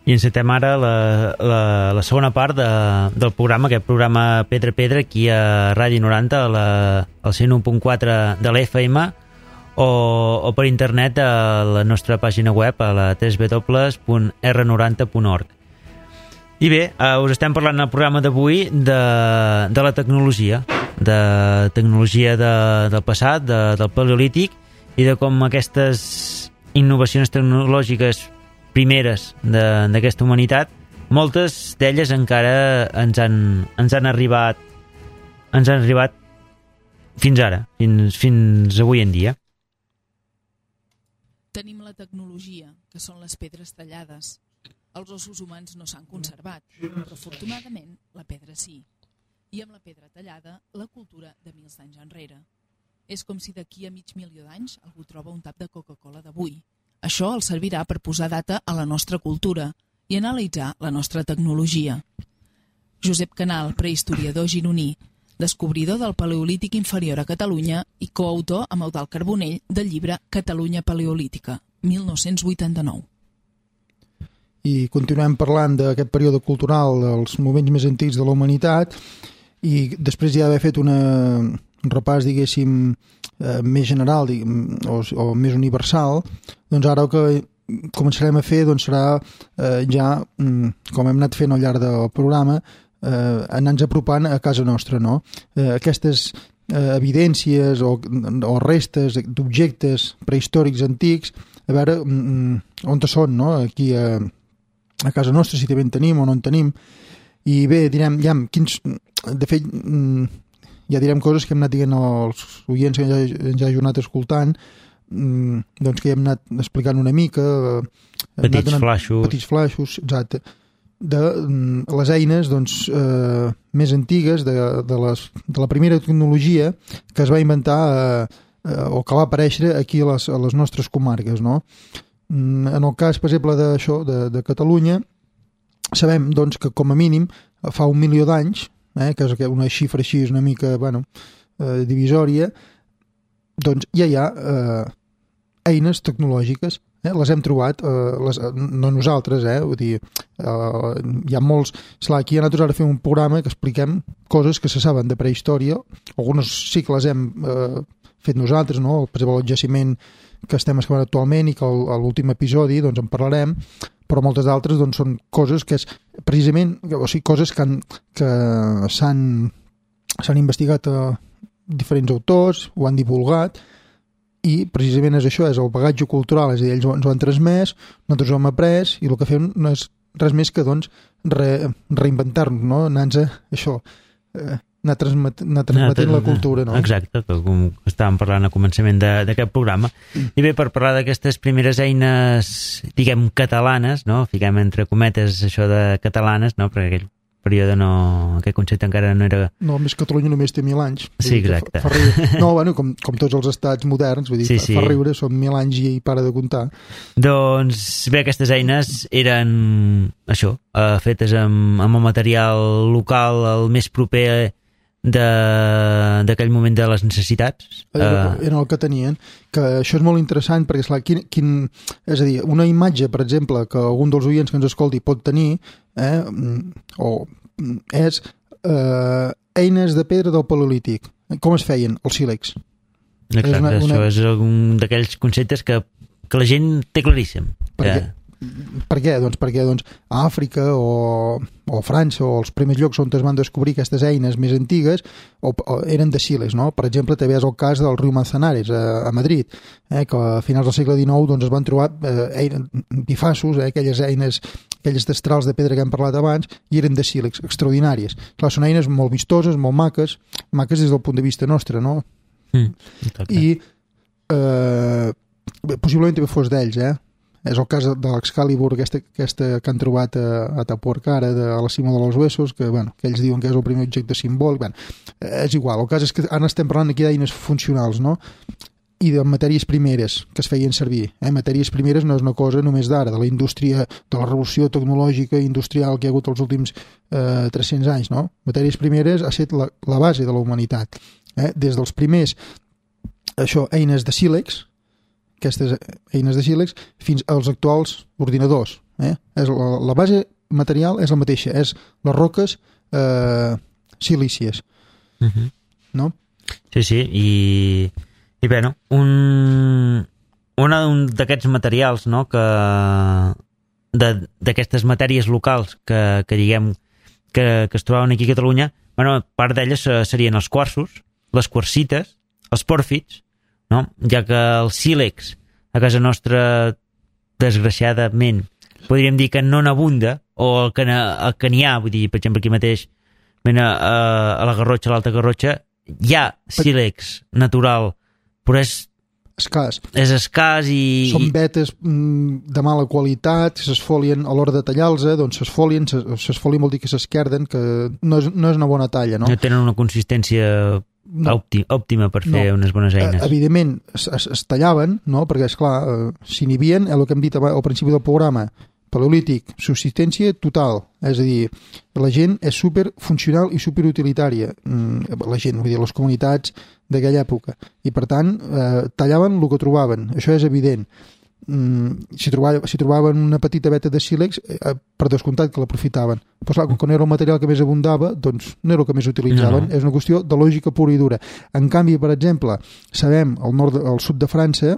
I encetem ara la, la, la segona part de, del programa, aquest programa Pedra a Pedra, aquí a Ràdio noranta, a la, al cent u punt quatre de l'F M, o, o per internet a la nostra pàgina web, a la w w w punt r noranta punt org. I bé, eh, us estem parlant al programa d'avui de, de la tecnologia, de tecnologia de, del passat, de, del paleolític, i de com aquestes innovacions tecnològiques primeres d'aquesta humanitat, moltes d'elles encara ens han, ens han arribat ens han arribat fins ara, fins, fins avui en dia. Tenim la tecnologia, que són les pedres tallades. Els ossos humans no s'han conservat, però afortunadament la pedra sí. I amb la pedra tallada, la cultura de mils d'anys enrere. És com si d'aquí a mig milió d'anys algú troba un tap de Coca-Cola d'avui. Això els servirà per posar data a la nostra cultura i analitzar la nostra tecnologia. Josep Canal, prehistoriador gironí, descobridor del Paleolític inferior a Catalunya i coautor amb Eudald Carbonell del llibre Catalunya Paleolítica, mil nou-cents vuitanta-nou. I continuem parlant d'aquest període cultural, dels moments més antics de la humanitat, i després ja d'haver fet una, un repàs, diguéssim, eh, més general diguem, o, o més universal, doncs ara el que començarem a fer doncs, serà eh, ja, com hem anat fent al llarg del programa, eh, anar-nos apropant a casa nostra, no? Eh, aquestes eh, evidències o, o restes d'objectes prehistòrics antics, a veure mm, on són, no? Aquí a, a casa nostra, si també en tenim o no en tenim. I bé, direm, ja, quins, de fet, ja direm coses que hem anat dient als oients que ja, ens hagin anat escoltant, doncs que hem anat explicant una mica, petits flaixos, petits flaixos, exacte, de les eines doncs, eh, més antigues de, de, les, de la primera tecnologia que es va inventar eh, eh, o que va aparèixer aquí a les, a les nostres comarques, no? En el cas, per exemple, d'això, de, de Catalunya, sabem doncs, que com a mínim fa un milió d'anys, eh, que és una xifra així una mica bueno, eh, divisòria, doncs ja hi ha eh, eines tecnològiques, eh, les hem trobat, eh, les, no nosaltres, eh, vull dir, eh, hi ha molts... Esclar, aquí nosaltres ara fem un programa que expliquem coses que se saben de prehistòria, algunes sí que les hem eh, fet nosaltres, no? Per exemple, el jaciment que estem excavant actualment i que a l'últim episodi doncs, en parlarem, però moltes d'altres doncs, són coses que és precisament, o sigui, coses que, han, que s'han, s'han investigat a diferents autors, ho han divulgat, i precisament és això, és el bagatge cultural, és a dir, ells ens ho han transmès, nosaltres ho hem après, i el que fem no és res més que doncs, re, reinventar-nos, no? Anar-nos a això, eh, anar transmetent, anar transmetent anar, la cultura, no? Exacte, com estàvem parlant al començament d'aquest programa. Mm. I bé, per parlar d'aquestes primeres eines, diguem, catalanes, no? Fiquem entre cometes això de catalanes, no? Perquè aquell període no, aquest concepte encara no era... No, més Catalunya només té mil anys. Sí, exacte. Fa, fa riure. No, bueno, com, com tots els estats moderns, vull dir, sí, fa, sí. fa riure, són mil anys i para de comptar. Doncs bé, aquestes eines eren això, eh, fetes amb, amb el material local el més proper d'aquell moment de les necessitats. Era, era el que tenien, que això és molt interessant perquè, esclar, quin, quin, és a dir, una imatge, per exemple, que algun dels oients que ens escolti pot tenir, eh, o és eh, eines de pedra del Paleolític. Com es feien? Els sílex. Exacte, és una, una... això és un d'aquells conceptes que, que la gent té claríssim. Perquè, per què? Doncs perquè doncs, a Àfrica o, o França o els primers llocs on es van descobrir aquestes eines més antigues o, o eren de sílex, no? Per exemple, també és el cas del riu Manzanares a, a Madrid, eh, que a finals del segle dinou doncs, es van trobar eh, bifassos, eh, aquelles eines, aquelles destrals de pedra que hem parlat abans, i eren de sílex, extraordinàries. Clar, són eines molt vistoses, molt maques, maques des del punt de vista nostre, no? Mm, I eh, possiblement també fos d'ells, eh? És el cas de l'Excalibur, aquesta, aquesta que han trobat a, a Tapuercara, de, a la cima de los Huesos, que, bueno, que ells diuen que és el primer objecte simbòlic. Bueno, és igual, el cas és que ara estem parlant aquí d'eines funcionals, no? I de matèries primeres que es feien servir. Eh? Matèries primeres no és una cosa només d'ara, de la indústria, de la revolució tecnològica i industrial que hi ha hagut els últims eh, tres-cents anys, no? Matèries primeres ha estat la, la base de la humanitat. Eh? Des dels primers, això, eines de sílex, aquestes eines de sílex, fins als actuals ordinadors. Eh? És la, la base material és la mateixa, és les roques eh, silícies. Uh-huh. No? Sí, sí, i, i bé, no? Un, un, un d'aquests materials, no?, que d'aquestes matèries locals que, que diguem que, que es trobaven aquí a Catalunya, bueno, part d'elles serien els quarsos, les quarsites, els pòrfids, no? Ja que el sílex a casa nostra, desgraciadament, podríem dir que no n'abunda, o el que, el que n'hi ha, vull dir, per exemple, aquí mateix, a, a la Garrotxa, a l'Alta Garrotxa, hi ha sílex natural, però és escàs. És escàs i... Són vetes de mala qualitat, s'esfolien a l'hora de tallar-los, doncs s'esfolien, s'esfolien vol dir que s'esquerden, que no és, no és una bona talla, no? No tenen una consistència no. òptima, òptima per fer no. unes bones eines. Evidentment, es, es, es tallaven, no? Perquè, esclar, s'inhibien, el que hem dit al principi del programa, Paleolític, subsistència total, és a dir, la gent és superfuncional i superutilitària, la gent, vull dir, les comunitats d'aquella època, i per tant eh, tallaven el que trobaven, això és evident. Mm, si, trobaven, si trobaven una petita veta de sílex, eh, per descomptat que l'aprofitaven, però clar, com no era el material que més abundava, doncs no era el que més utilitzaven. No. És una qüestió de lògica pura i dura. En canvi, per exemple, sabem, al nord, al sud de França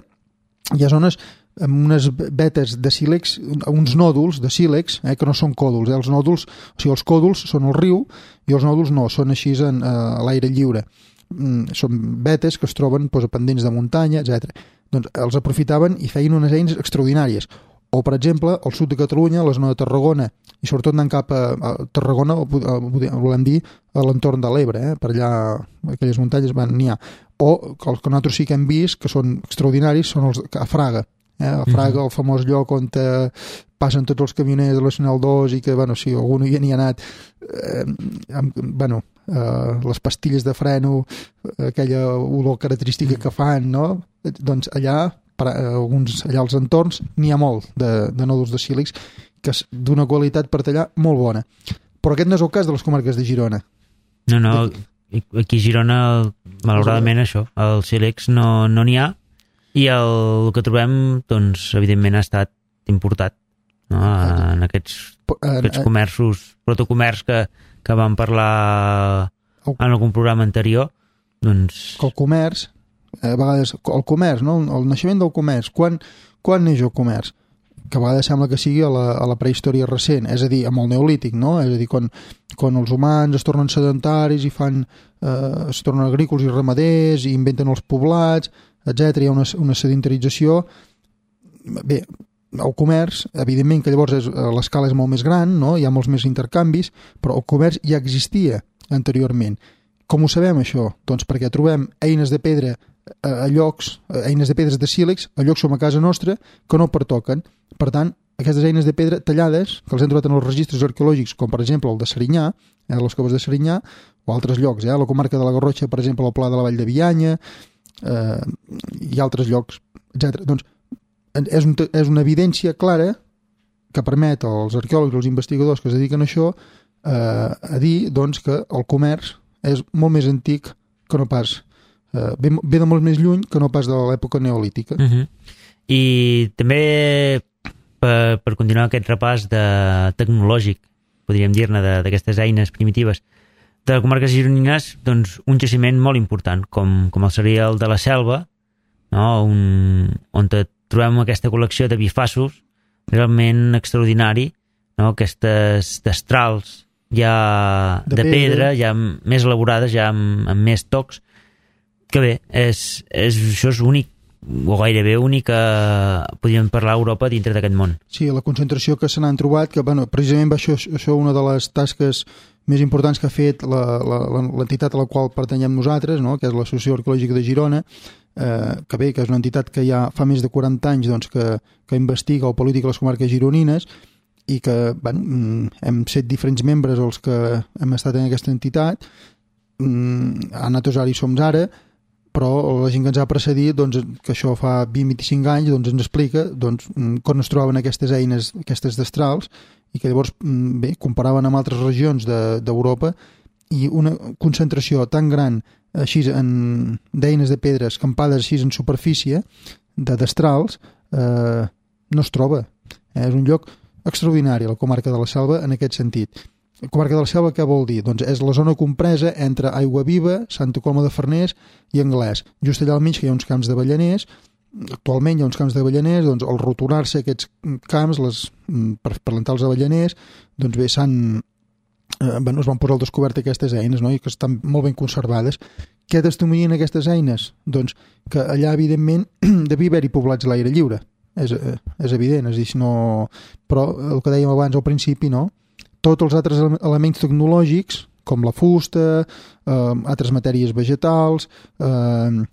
hi ha zones amb unes vetes de sílex, uns nòduls de sílex, eh, que no són còdols, eh? Els nòduls, o sigui, els còdols són el riu i els nòduls no, són així en, eh, a l'aire lliure. Mm, són vetes que es troben doncs, a pendents de muntanya, etcètera. Doncs els aprofitaven i feien unes eines extraordinàries. O, per exemple, al sud de Catalunya, a la zona de Tarragona, i sobretot anant cap a, a Tarragona, volem dir, a l'entorn de l'Ebre, eh? Per allà, aquelles muntanyes van n'hi ha. O els que nosaltres sí que hem vist, que són extraordinaris, són els a Fraga. Eh, a Fraga, el famós lloc on eh, passen tots els camioners de la Nacional dos i que, bueno, si algú no hi ha anat eh, amb, bueno, eh, les pastilles de freno, aquella olor característica que fan, no? Doncs allà, per, eh, alguns, allà als entorns, n'hi ha molt de, de nòduls de sílex que és d'una qualitat per tallar molt bona. Però aquest no és el cas de les comarques de Girona. No, no, aquí a Girona, malauradament, això, el sílex no no n'hi ha, i el que trobem, doncs, evidentment ha estat importat, no? En aquests, aquests comerços, protocomerç que, que vam parlar en algun programa anterior, doncs... El comerç, a vegades, el comerç, no? El naixement del comerç, quan, quan neix el comerç? Que a vegades sembla que sigui a la, a la prehistòria recent, és a dir, amb el neolític, no? És a dir, quan, quan els humans es tornen sedentaris i fan, eh, es tornen agrícoles i ramaders i inventen els poblats, etcètera. Hi ha una, una sedentarització. Bé, el comerç, evidentment que llavors és, l'escala és molt més gran, no? Hi ha molts més intercanvis, però el comerç ja existia anteriorment. Com ho sabem, això? Doncs perquè trobem eines de pedra a llocs, eines de pedres de sílex, a llocs com a casa nostra, que no pertoquen. Per tant, aquestes eines de pedra tallades, que els hem trobat en els registres arqueològics, com per exemple el de Serinyà, eh, les coves de Serinyà, o altres llocs, eh, a la comarca de la Garrotxa, per exemple, el Pla de la Vall de Bianya, eh, i altres llocs, etcètera. Doncs és, un, és una evidència clara que permet als arqueòlegs i als investigadors que es dediquen a això eh, a dir doncs, que el comerç és molt més antic que no pas, eh, ve, ve de molt més lluny que no pas de l'època neolítica. Uh-huh. I també per, per continuar aquest repàs de tecnològic, podríem dir-ne, d'aquestes eines primitives de les comarques gironines, doncs un jaciment molt important, com, com el seria el de la Selva, no? Un, on trobem aquesta col·lecció de bifassos realment extraordinari, no? Aquestes destrals ja de, de pedra, pedra, ja més elaborades, ja amb, amb més tocs, que bé, és, és, això és únic, o gairebé únic, podríem parlar a Europa dintre d'aquest món. Sí, la concentració que se n'han trobat, que bueno, precisament va això, això una de les tasques més importants que ha fet l'entitat a la qual pertanyem nosaltres, no? Que és l'Associació Arqueològica de Girona, eh, que bé, que és una entitat que ja fa més de quaranta anys doncs, que, que investiga o política a les comarques gironines, i que bueno, hem set diferents membres els que hem estat en aquesta entitat, a Natos ara hi som ara, però la gent que ens ha precedit, doncs, que això fa vint a vint-i-cinc anys, doncs, ens explica doncs, com es trobaven aquestes eines, aquestes destrals, i que llavors bé, comparaven amb altres regions d'Europa, i una concentració tan gran així d'eines de pedra escampades així en superfície, de destrals, eh, no es troba. Eh, és un lloc extraordinari, la comarca de la Selva, en aquest sentit. La comarca de la Selva què vol dir? Doncs és la zona compresa entre Aiguaviva, Santa Coloma de Farners i Anglès. Just allà al mig que hi ha uns camps d'avellaners, actualment hi ha uns camps d'avellaners, doncs al roturar-se aquests camps les, per plantar els avellaners, doncs bé, s'han, eh, bueno, es van posar al descobert aquestes eines, no? I que estan molt ben conservades. Què testimonien aquestes eines? Doncs que allà, evidentment, devia haver-hi poblats a l'aire lliure. És, és evident, és dir, no... però el que dèiem abans al principi, no? Tots els altres elements tecnològics, com la fusta, eh, altres matèries vegetals, eh,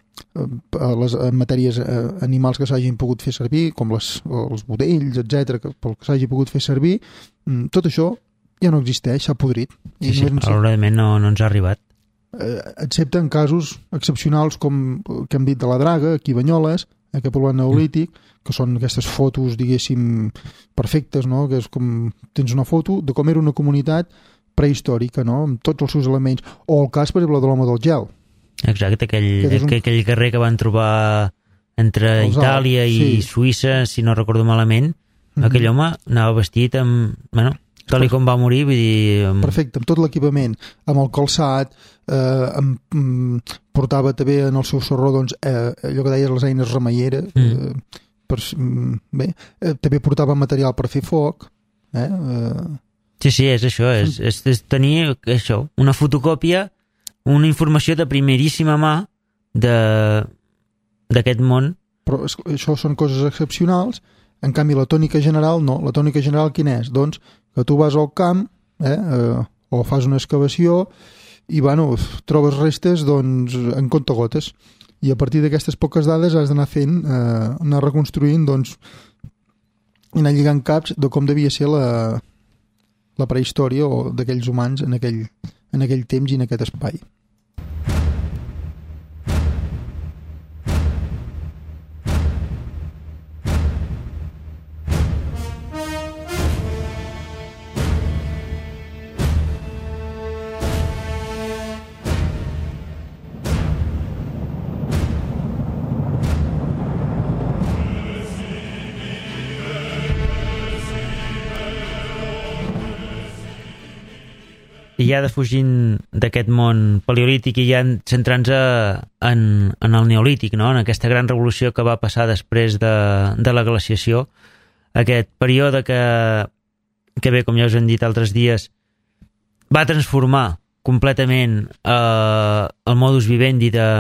les matèries eh, animals que s'hagin pogut fer servir, com les, els budells, etcètera, que, pel que s'hagi pogut fer servir, tot això ja no existeix, s'ha podrit. Sí, sí, malauradament no, no ens ha arribat. Eh, excepte en casos excepcionals com que hem dit de la Draga, aquí a Banyoles, aquest poblat neolític, mm. que són aquestes fotos, diguéssim, perfectes, no? Que és com tens una foto de com era una comunitat prehistòrica, no? Amb tots els seus elements. O el cas, per exemple, de l'home del gel. Exacte, aquell, un... aquell carrer que van trobar entre els Itàlia Alps, i sí. Suïssa, si no recordo malament, mm-hmm. aquell home anava vestit amb... Bueno, tal i com va morir, vull dir... Amb... Perfecte, amb tot l'equipament, amb el calçat, eh, amb, mm, portava també en el seu sorró, doncs, eh, allò que deies, les eines remeieres, mm. eh, per, bé, eh, també portava material per fer foc, eh? eh... Sí, sí, és això, és, és, és tenir això, una fotocòpia, una informació de primeríssima mà d'aquest món. Però això són coses excepcionals, en canvi la tònica general no, la tònica general quina és? Doncs que tu vas al camp, eh, eh, o fas una excavació i bueno, trobes restes doncs, en comptagotes, i a partir d'aquestes poques dades has d'anar fent, eh, anar reconstruint, doncs, i anar lligant caps de com devia ser la, la prehistòria o d'aquells humans en aquell, en aquell temps i en aquest espai. I ja defugint d'aquest món paleolític i ja centrant-se en, en el neolític, no? En aquesta gran revolució que va passar després de, de la glaciació, aquest període que, que bé, com ja us hem dit altres dies, va transformar completament eh, el modus vivendi de,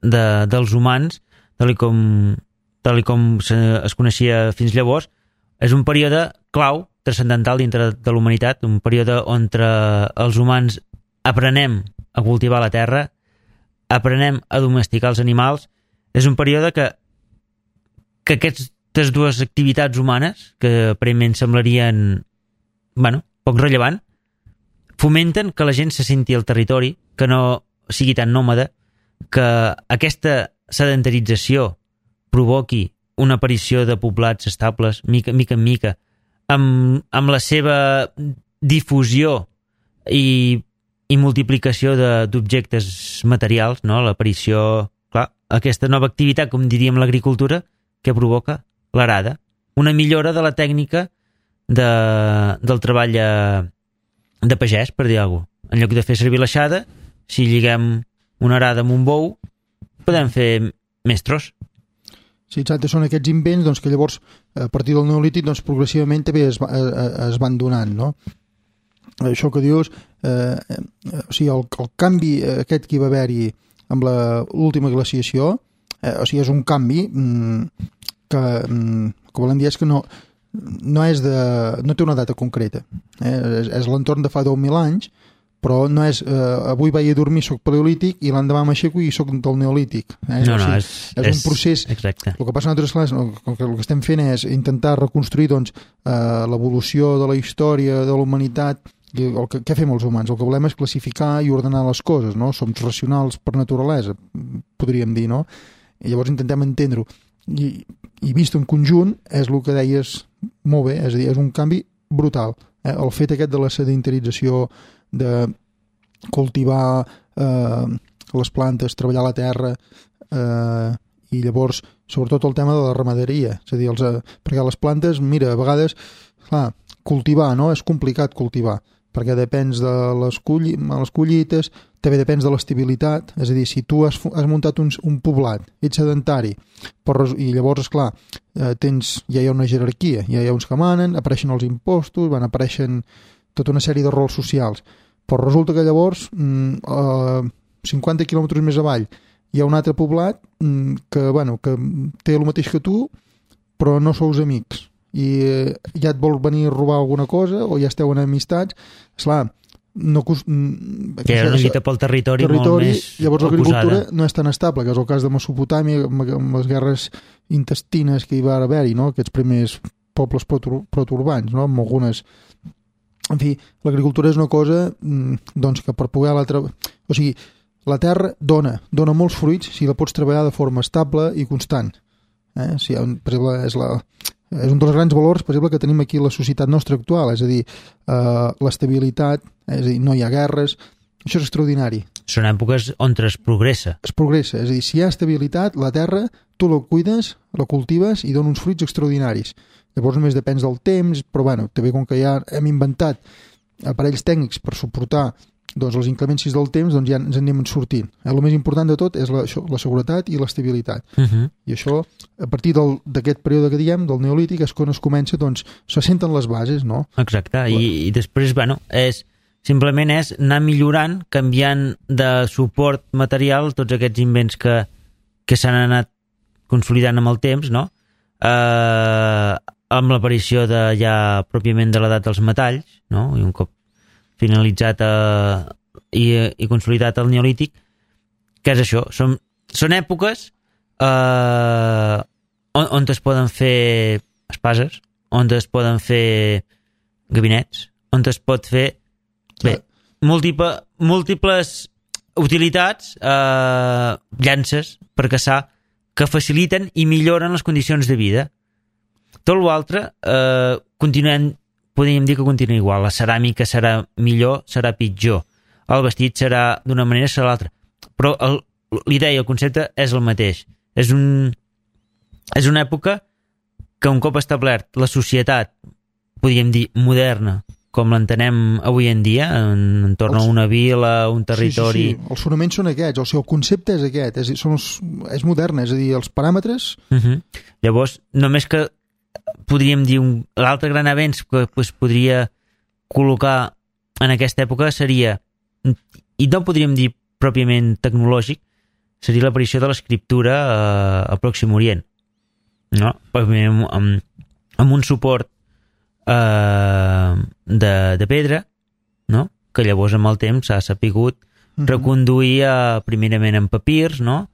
de, dels humans, tal com, tal com se, es coneixia fins llavors. És un període clau, transcendental dintre de la humanitat, un període on els humans aprenem a cultivar la terra, aprenem a domesticar els animals. És un període que, que aquests aquestes dues activitats humanes, que aparentment semblarien, bueno, poc rellevant, fomenten que la gent se senti al territori, que no sigui tan nòmada, que aquesta sedentarització provoqui una aparició de poblats estables, mica, mica en mica, amb, amb la seva difusió i, i multiplicació d'objectes materials, no? L'aparició, clar, aquesta nova activitat, com diríem l'agricultura, que provoca l'arada, una millora de la tècnica de, del treball de pagès, per dir alguna cosa. En lloc de fer servir l'aixada, si lliguem una arada amb un bou, podem fer més tros. Sí, exacte, són aquests invents doncs, que llavors, a partir del Neolític, doncs, progressivament també es, es van donant, no? Això que dius, eh, eh, o sigui, el, el canvi aquest que hi va haver-hi amb l'última glaciació, eh, o sigui, és un canvi mm, que, mm, que volem dir és que no, no, és de, no té una data concreta. Eh? És, és l'entorn de fa deu mil anys, però no és, eh, avui vaig a dormir, soc paleolític, i l'endemà m'aixeco i soc del neolític. Eh? No, no, o sigui, és, és, és un procés. Exacte. El que passa en altres classes, el, el que estem fent és intentar reconstruir doncs, eh, l'evolució de la història de la humanitat, i el que, què fem els humans? El que volem és classificar i ordenar les coses, no? Som racionals per naturalesa, podríem dir, no? I llavors intentem entendre-ho. I, i vist en conjunt és el que deies molt bé, és a dir, és un canvi brutal. Eh? El fet aquest de la sedentarització, de cultivar eh, les plantes, treballar la terra, eh, i llavors sobretot el tema de la ramaderia, és a dir, els, eh, perquè les plantes, mira, a vegades clar, cultivar, no? És complicat cultivar, perquè depens de les, colli les collites, també depens de l'estabilitat, és a dir, si tu has, has muntat un, un poblat, ets sedentari, però, i llavors, esclar, eh, tens, ja hi ha una jerarquia, ja hi ha uns que manen, apareixen els impostos, van apareixen tota una sèrie de rols socials, però resulta que llavors, mm, eh, cinquanta quilòmetres més avall, hi ha un altre poblat mm, que, bueno, que té el mateix que tu, però no sous amics, i eh, ja et vol venir a robar alguna cosa, o ja esteu en amistats, esclar, no cos... que hi ha una lluita pel territori, territori molt més llavors l'agricultura acusada. No és tan estable, que és el cas de Mesopotàmia, amb les guerres intestines que hi va haver-hi, no? Aquests primers pobles protourbans, no? Amb algunes... En fi, l'agricultura és una cosa doncs, que per poder la treballar... O sigui, la terra dona, dona molts fruits si la pots treballar de forma estable i constant. Eh? Si, per exemple, és, la, és un dels grans valors, per exemple, que tenim aquí la societat nostra actual, és a dir, eh, l'estabilitat, és a dir, no hi ha guerres, això és extraordinari. Són èpoques on es progressa. Es progressa, és a dir, si hi ha estabilitat, la terra, tu la cuides, la cultives i dona uns fruits extraordinaris. Llavors només depèn del temps, però bueno, també com que ja hem inventat aparells tècnics per suportar doncs, les inclemències del temps, doncs ja ens en anem sortint. Eh, el més important de tot és la, això, la seguretat i l'estabilitat. Uh -huh. I això, a partir d'aquest període que diem, del neolític, és quan es comença, doncs, se senten les bases, no? Exacte, I, i després, bueno, és, simplement és anar millorant, canviant de suport material tots aquests invents que, que s'han anat consolidant amb el temps, no? Eh... amb l'aparició de, ja pròpiament de l'edat dels metalls, no? I un cop finalitzat eh, i, i consolidat el neolític, que és això, són, són èpoques eh, on, on es poden fer espases, on es poden fer gabinets, on es pot fer bé, múltiple, múltiples utilitats, eh, llances per caçar, que faciliten i milloren les condicions de vida. Tot l'altre, eh, continuem, podríem dir que continua igual. La ceràmica serà millor, serà pitjor. El vestit serà d'una manera, serà l'altra. Però l'idea, el concepte és el mateix. És, un, és una època que un cop establert la societat, podríem dir, moderna, com l'entenem avui en dia, en, entorn a una vila, un territori... Sí, sí, sí. Els fonaments són aquests, o sigui, el concepte és aquest, és, són els, és modern, és a dir, els paràmetres... Uh -huh. Llavors, només que podríem dir l'altre gran avenç que pues, podria col·locar en aquesta època seria, i no podríem dir pròpiament tecnològic, seria l'aparició de l'escriptura eh, al Pròxim Orient, no? Amb, amb, amb un suport eh, de, de pedra, no? Que llavors amb el temps s'ha sapigut reconduir a, primerament en papirs, no?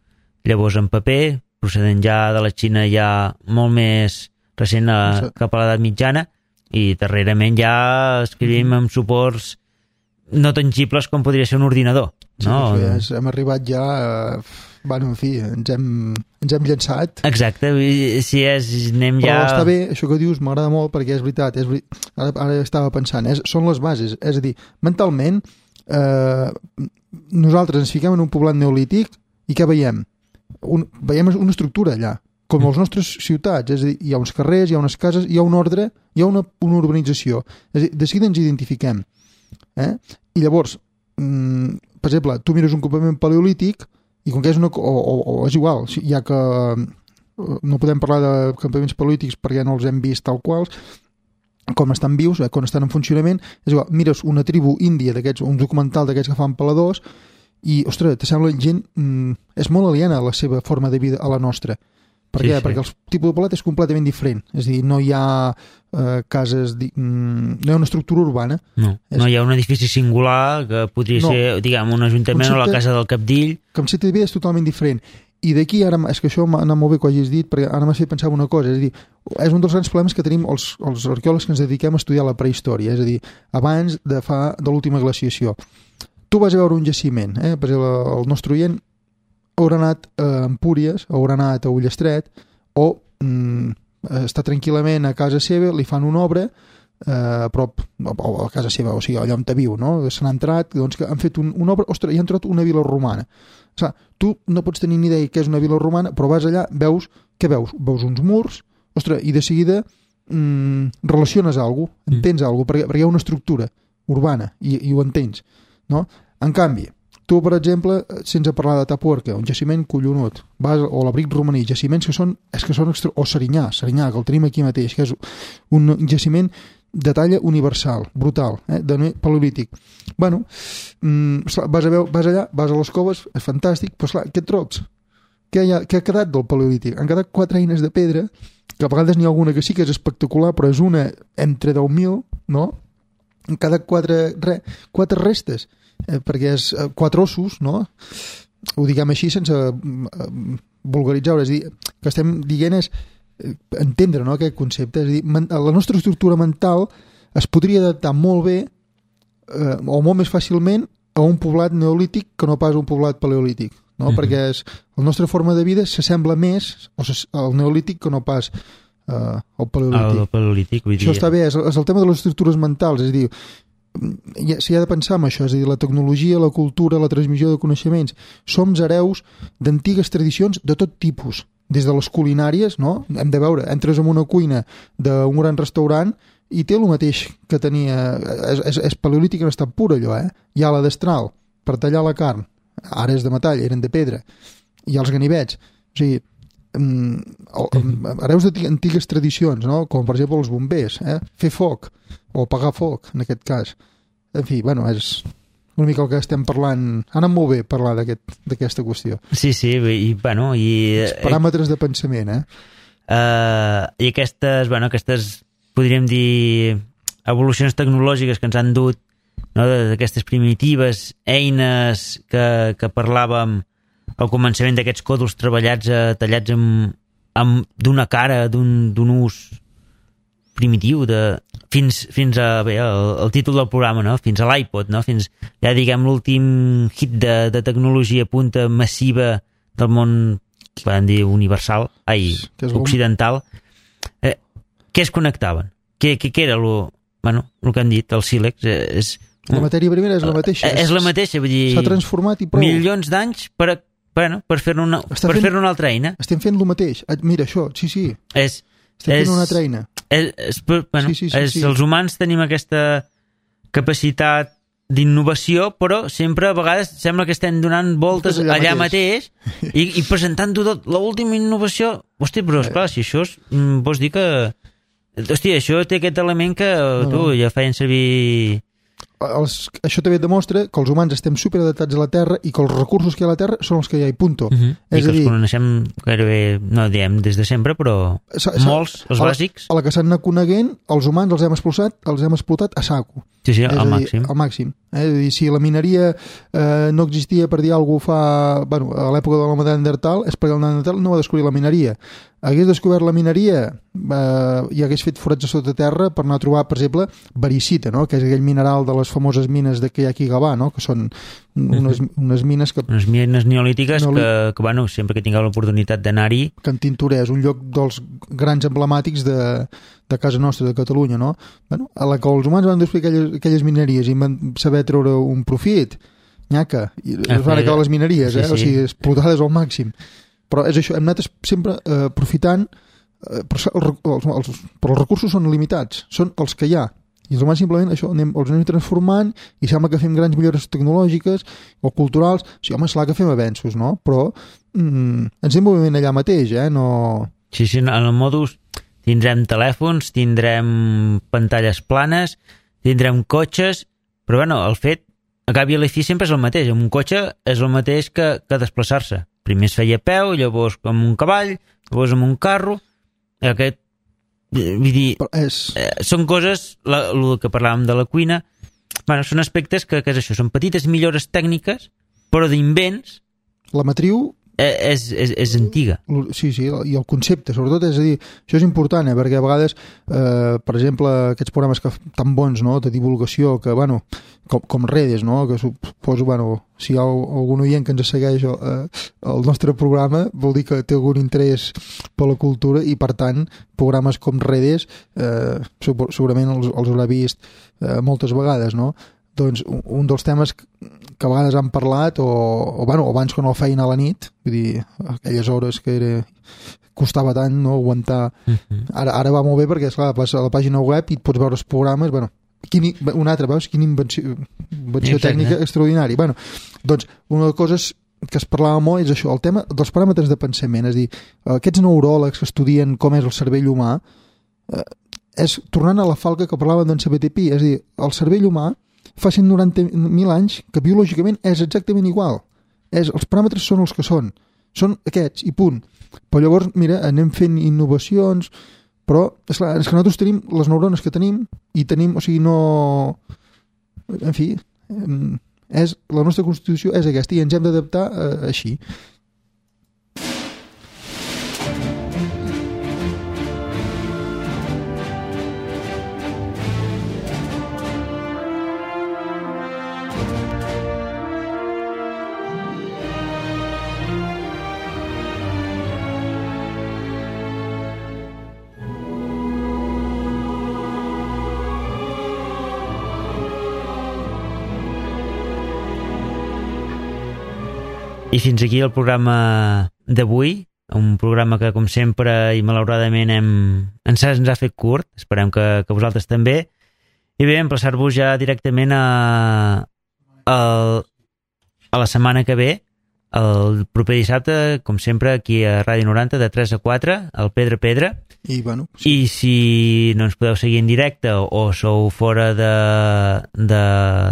Llavors en paper, procedent ja de la Xina ja molt més recent a, cap a l'edat mitjana, i darrerament ja escrivim amb suports no tangibles com podria ser un ordinador. Sí, no? Això ja és, hem arribat ja... Eh, bueno, en fi, ens hem, ens hem llançat. Exacte, si és, anem Però ja... Però està bé, això que dius m'agrada molt perquè és veritat, és veritat ara, ara estava pensant, és, són les bases, és a dir, mentalment eh, nosaltres ens fiquem en un poblat neolític i què veiem? Un, veiem una estructura allà, com les nostres ciutats, és a dir, hi ha uns carrers, hi ha unes cases, hi ha un ordre, hi ha una, una urbanització, és a dir, de seguida ens identifiquem. Eh? I llavors, mm, per exemple, tu mires un campament paleolític i com que és una... o, o, o és igual, ja que no podem parlar de campaments paleolítics perquè no els hem vist tal quals, com estan vius, eh, quan estan en funcionament, és igual, mires una tribu índia d'aquests, un documental d'aquests que fan peladors i, ostres, te sembla gent... Mm, és molt aliena a la seva forma de vida a la nostra. Per sí, què? sí. Perquè el tipus de pelat és completament diferent. És a dir, no hi ha eh, cases... Di... Mm, no hi ha una estructura urbana. No, és... no hi ha un edifici singular que podria no. ser, diguem, un ajuntament concepte... o la casa del Capdill. El concepte de vida és totalment diferent. I d'aquí, ara, és que això m'ha anat molt bé que ho hagis dit, perquè ara m'ha fet pensar en una cosa. És a dir, és un dels grans problemes que tenim els, els arqueòlegs que ens dediquem a estudiar la prehistòria. És a dir, abans de, fa, de l'última glaciació. Tu vas a veure un jaciment, eh? Per exemple, el nostre oient haurà anat a Empúries, haurà anat a Ullestret, o mm, està tranquil·lament a casa seva, li fan una obra eh, a prop, o a casa seva, o sigui, allà on te viu, no? Se n'ha entrat, doncs que han fet un, una obra, ostres, i han trobat una vila romana. O sigui, tu no pots tenir ni idea què és una vila romana, però vas allà, veus, què veus? Veus uns murs, ostres, i de seguida mm, relaciones alguna cosa, entens mm. alguna cosa, perquè, perquè hi ha una estructura urbana, i, i ho entens, no? En canvi, tu, per exemple, sense parlar de Tapuerca, un jaciment collonut, vas, o l'abric romaní, jaciments que són, és que són extra... o Serinyà, Serinyà, que el tenim aquí mateix, que és un jaciment de talla universal, brutal, eh, de paleolític. Bueno, mmm, vas, a veure, vas allà, vas a les coves, és fantàstic, però esclar, què et trobes? Què, ha, què ha quedat del paleolític? Han quedat quatre eines de pedra, que a vegades n'hi ha alguna que sí que és espectacular, però és una entre deu mil, no? Han quedat quatre, re, quatre restes, Eh, perquè és eh, quatre ossos, no? Ho diguem així sense eh, vulgaritzar, és a dir, que estem dient és eh, entendre, no, aquest concepte, és a dir, man, la nostra estructura mental es podria adaptar molt bé eh, o molt més fàcilment a un poblat neolític que no pas a un poblat paleolític, no? Mm-hmm. Perquè és, la nostra forma de vida s'assembla més al neolític que no pas eh, al paleolític. El paleolític, vull dir... Això està bé, és, és el tema de les estructures mentals, és a dir, s'hi ha de pensar en això, és a dir, la tecnologia, la cultura, la transmissió de coneixements. Som hereus d'antigues tradicions de tot tipus, des de les culinàries, no? Hem de veure, entres en una cuina d'un gran restaurant i té el mateix que tenia, és, és, és paleolític en estat pur allò, eh? Hi ha la destral per tallar la carn, ara és de metall, eren de pedra, hi ha els ganivets, o sigui, hereus d'antigues tradicions, no? Com per exemple els bombers, eh? Fer foc o apagar foc, en aquest cas. En fi, bueno, és una mica el que estem parlant. Ha anat molt bé parlar d'aquesta aquest, qüestió. Sí, sí, i bueno... I, els paràmetres de pensament, eh? Uh, I aquestes, bueno, aquestes, podríem dir, evolucions tecnològiques que ens han dut, no? D'aquestes primitives eines que, que parlàvem al començament d'aquests còdols treballats, eh, tallats amb, amb d'una cara, d'un ús primitiu, de, fins, fins a bé, el, el títol del programa, no? Fins a l'iPod, no? Fins, ja diguem, l'últim hit de, de tecnologia punta massiva del món, podem dir, universal, ai, occidental. Eh, què es connectaven? Què, què, què era lo, bueno, el que han dit, el sílex? Eh, és, la matèria primera és la mateixa. És, és la mateixa, vull dir... S'ha transformat i prou. Milions d'anys per, bueno, per fer-ne una, per fer una altra eina. Estem fent el mateix. Mira, això, sí, sí. És, estem és, fent una altra eina. És, és, bueno, sí, sí, sí, és, sí. Els humans tenim aquesta capacitat d'innovació, però sempre a vegades sembla que estem donant voltes allà, allà mateix, mateix i, i presentant-ho tot, l'última innovació. Hosti, però esclar, si això és, vols dir que... Hòstia, això té aquest element que no, tu no. ja feien servir... Els, això també demostra que els humans estem superadaptats a la Terra i que els recursos que hi ha a la Terra són els que hi ha i punto. Uh -huh. I és que els dir, coneixem gairebé, no diem des de sempre, però molts, els a la, bàsics. A la que s'han anat coneguent, els humans els hem explotat, els hem explotat a saco. Sí, sí, al dir, màxim. Al màxim. Eh? És a dir, si la mineria eh, no existia, per dir alguna cosa, fa... Bueno, a l'època de l'home de Neandertal, és perquè el Neandertal no va descobrir la mineria. hagués descobert la mineria eh, i hagués fet forats a sota terra per anar a trobar, per exemple, varicita, no? Que és aquell mineral de les famoses mines de que hi ha aquí a Gavà, no? Que són unes, unes mines que... Unes mines neolítiques Neolí... que, que, bueno, sempre que tingueu l'oportunitat d'anar-hi... Que en Tintoré és un lloc dels grans emblemàtics de, de casa nostra, de Catalunya, no? Bueno, a la que els humans van descobrir aquelles, aquelles mineries i van saber treure un profit, nyaca, i es van acabar les mineries, eh? Sí, sí. O sigui, explotades al màxim. Però és això, hem anat sempre eh, aprofitant, eh, però, els, els, però els recursos són limitats, són els que hi ha. I els humans simplement això anem, els anem transformant i sembla que fem grans millores tecnològiques o culturals. O sigui, home, és clar que fem avenços, no? Però mm, ens anem movent allà mateix, eh? No... Sí, sí, en el modus tindrem telèfons, tindrem pantalles planes, tindrem cotxes, però bueno, el fet, a cap i a la fi sempre és el mateix. Un cotxe és el mateix que, que desplaçar-se. Primer es feia a peu, llavors amb un cavall, llavors amb un carro. Aquest, vull dir, és... eh, són coses, la, el que parlàvem de la cuina, bueno, són aspectes que, que és això, són petites millores tècniques, però d'invents... La matriu... Eh, és, és, és antiga. Sí, sí, i el concepte, sobretot, és a dir, això és important, eh, perquè a vegades, eh, per exemple, aquests programes que, tan bons, no?, de divulgació, que, bueno, com, com redes, no?, que suposo, bueno, si hi ha algun oient que ens segueix eh, el nostre programa, vol dir que té algun interès per la cultura i, per tant, programes com redes eh, segurament els, els haurà vist eh, moltes vegades, no?, doncs un dels temes que a vegades han parlat o, o, bueno, abans quan el feien a la nit, vull dir, aquelles hores que era, costava tant, no, aguantar. Uh-huh. Ara, ara va molt bé perquè, esclar, vas a la pàgina web i et pots veure els programes, bueno, quin, un altre, veus? Quina invenció, invenció tècnica extraordinària. Bueno, doncs una de les coses que es parlava molt és això, el tema dels paràmetres de pensament, és a dir, aquests neuròlegs que estudien com és el cervell humà, eh, és tornant a la falca que parlaven d'en C B T P, és a dir, el cervell humà fa cent noranta mil anys que biològicament és exactament igual. És, els paràmetres són els que són. Són aquests, i punt. Però llavors, mira, anem fent innovacions, però és clar, és que nosaltres tenim les neurones que tenim i tenim, o sigui, no... En fi, és, la nostra constitució és aquesta i ens hem d'adaptar eh, així. I fins aquí el programa d'avui, un programa que, com sempre, i malauradament hem, ens, ens ha fet curt, esperem que, que vosaltres també, i bé, emplaçar-vos ja directament a, a, a la setmana que ve, el proper dissabte, com sempre, aquí a Ràdio noranta, de tres a quatre, al Pedra Pedra. I, bueno, sí. I si no ens podeu seguir en directe o, o sou fora de, de,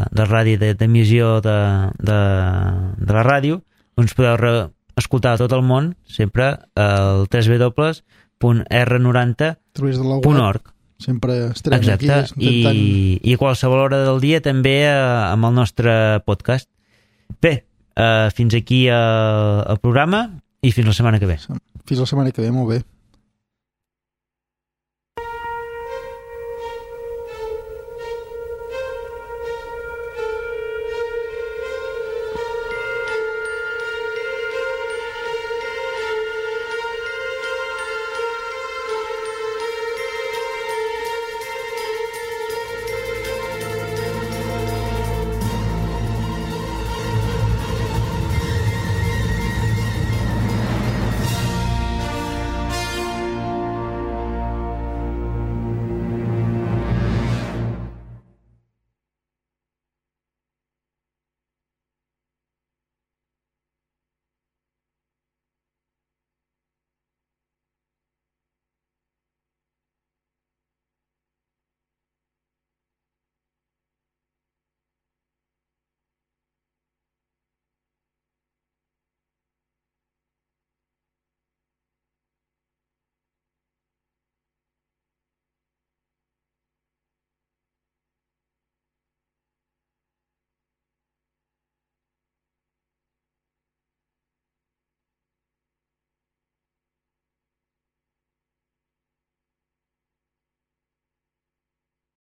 de ràdio d'emissió de, de, de la ràdio, doncs podeu re escoltar a tot el món sempre al w w w punt r noranta punt org. Sempre estarem Exacte. Aquí intentant... I, i a qualsevol hora del dia també eh, amb el nostre podcast. Bé, eh, fins aquí eh, el programa i fins la setmana que ve. Fins la setmana que ve, molt bé.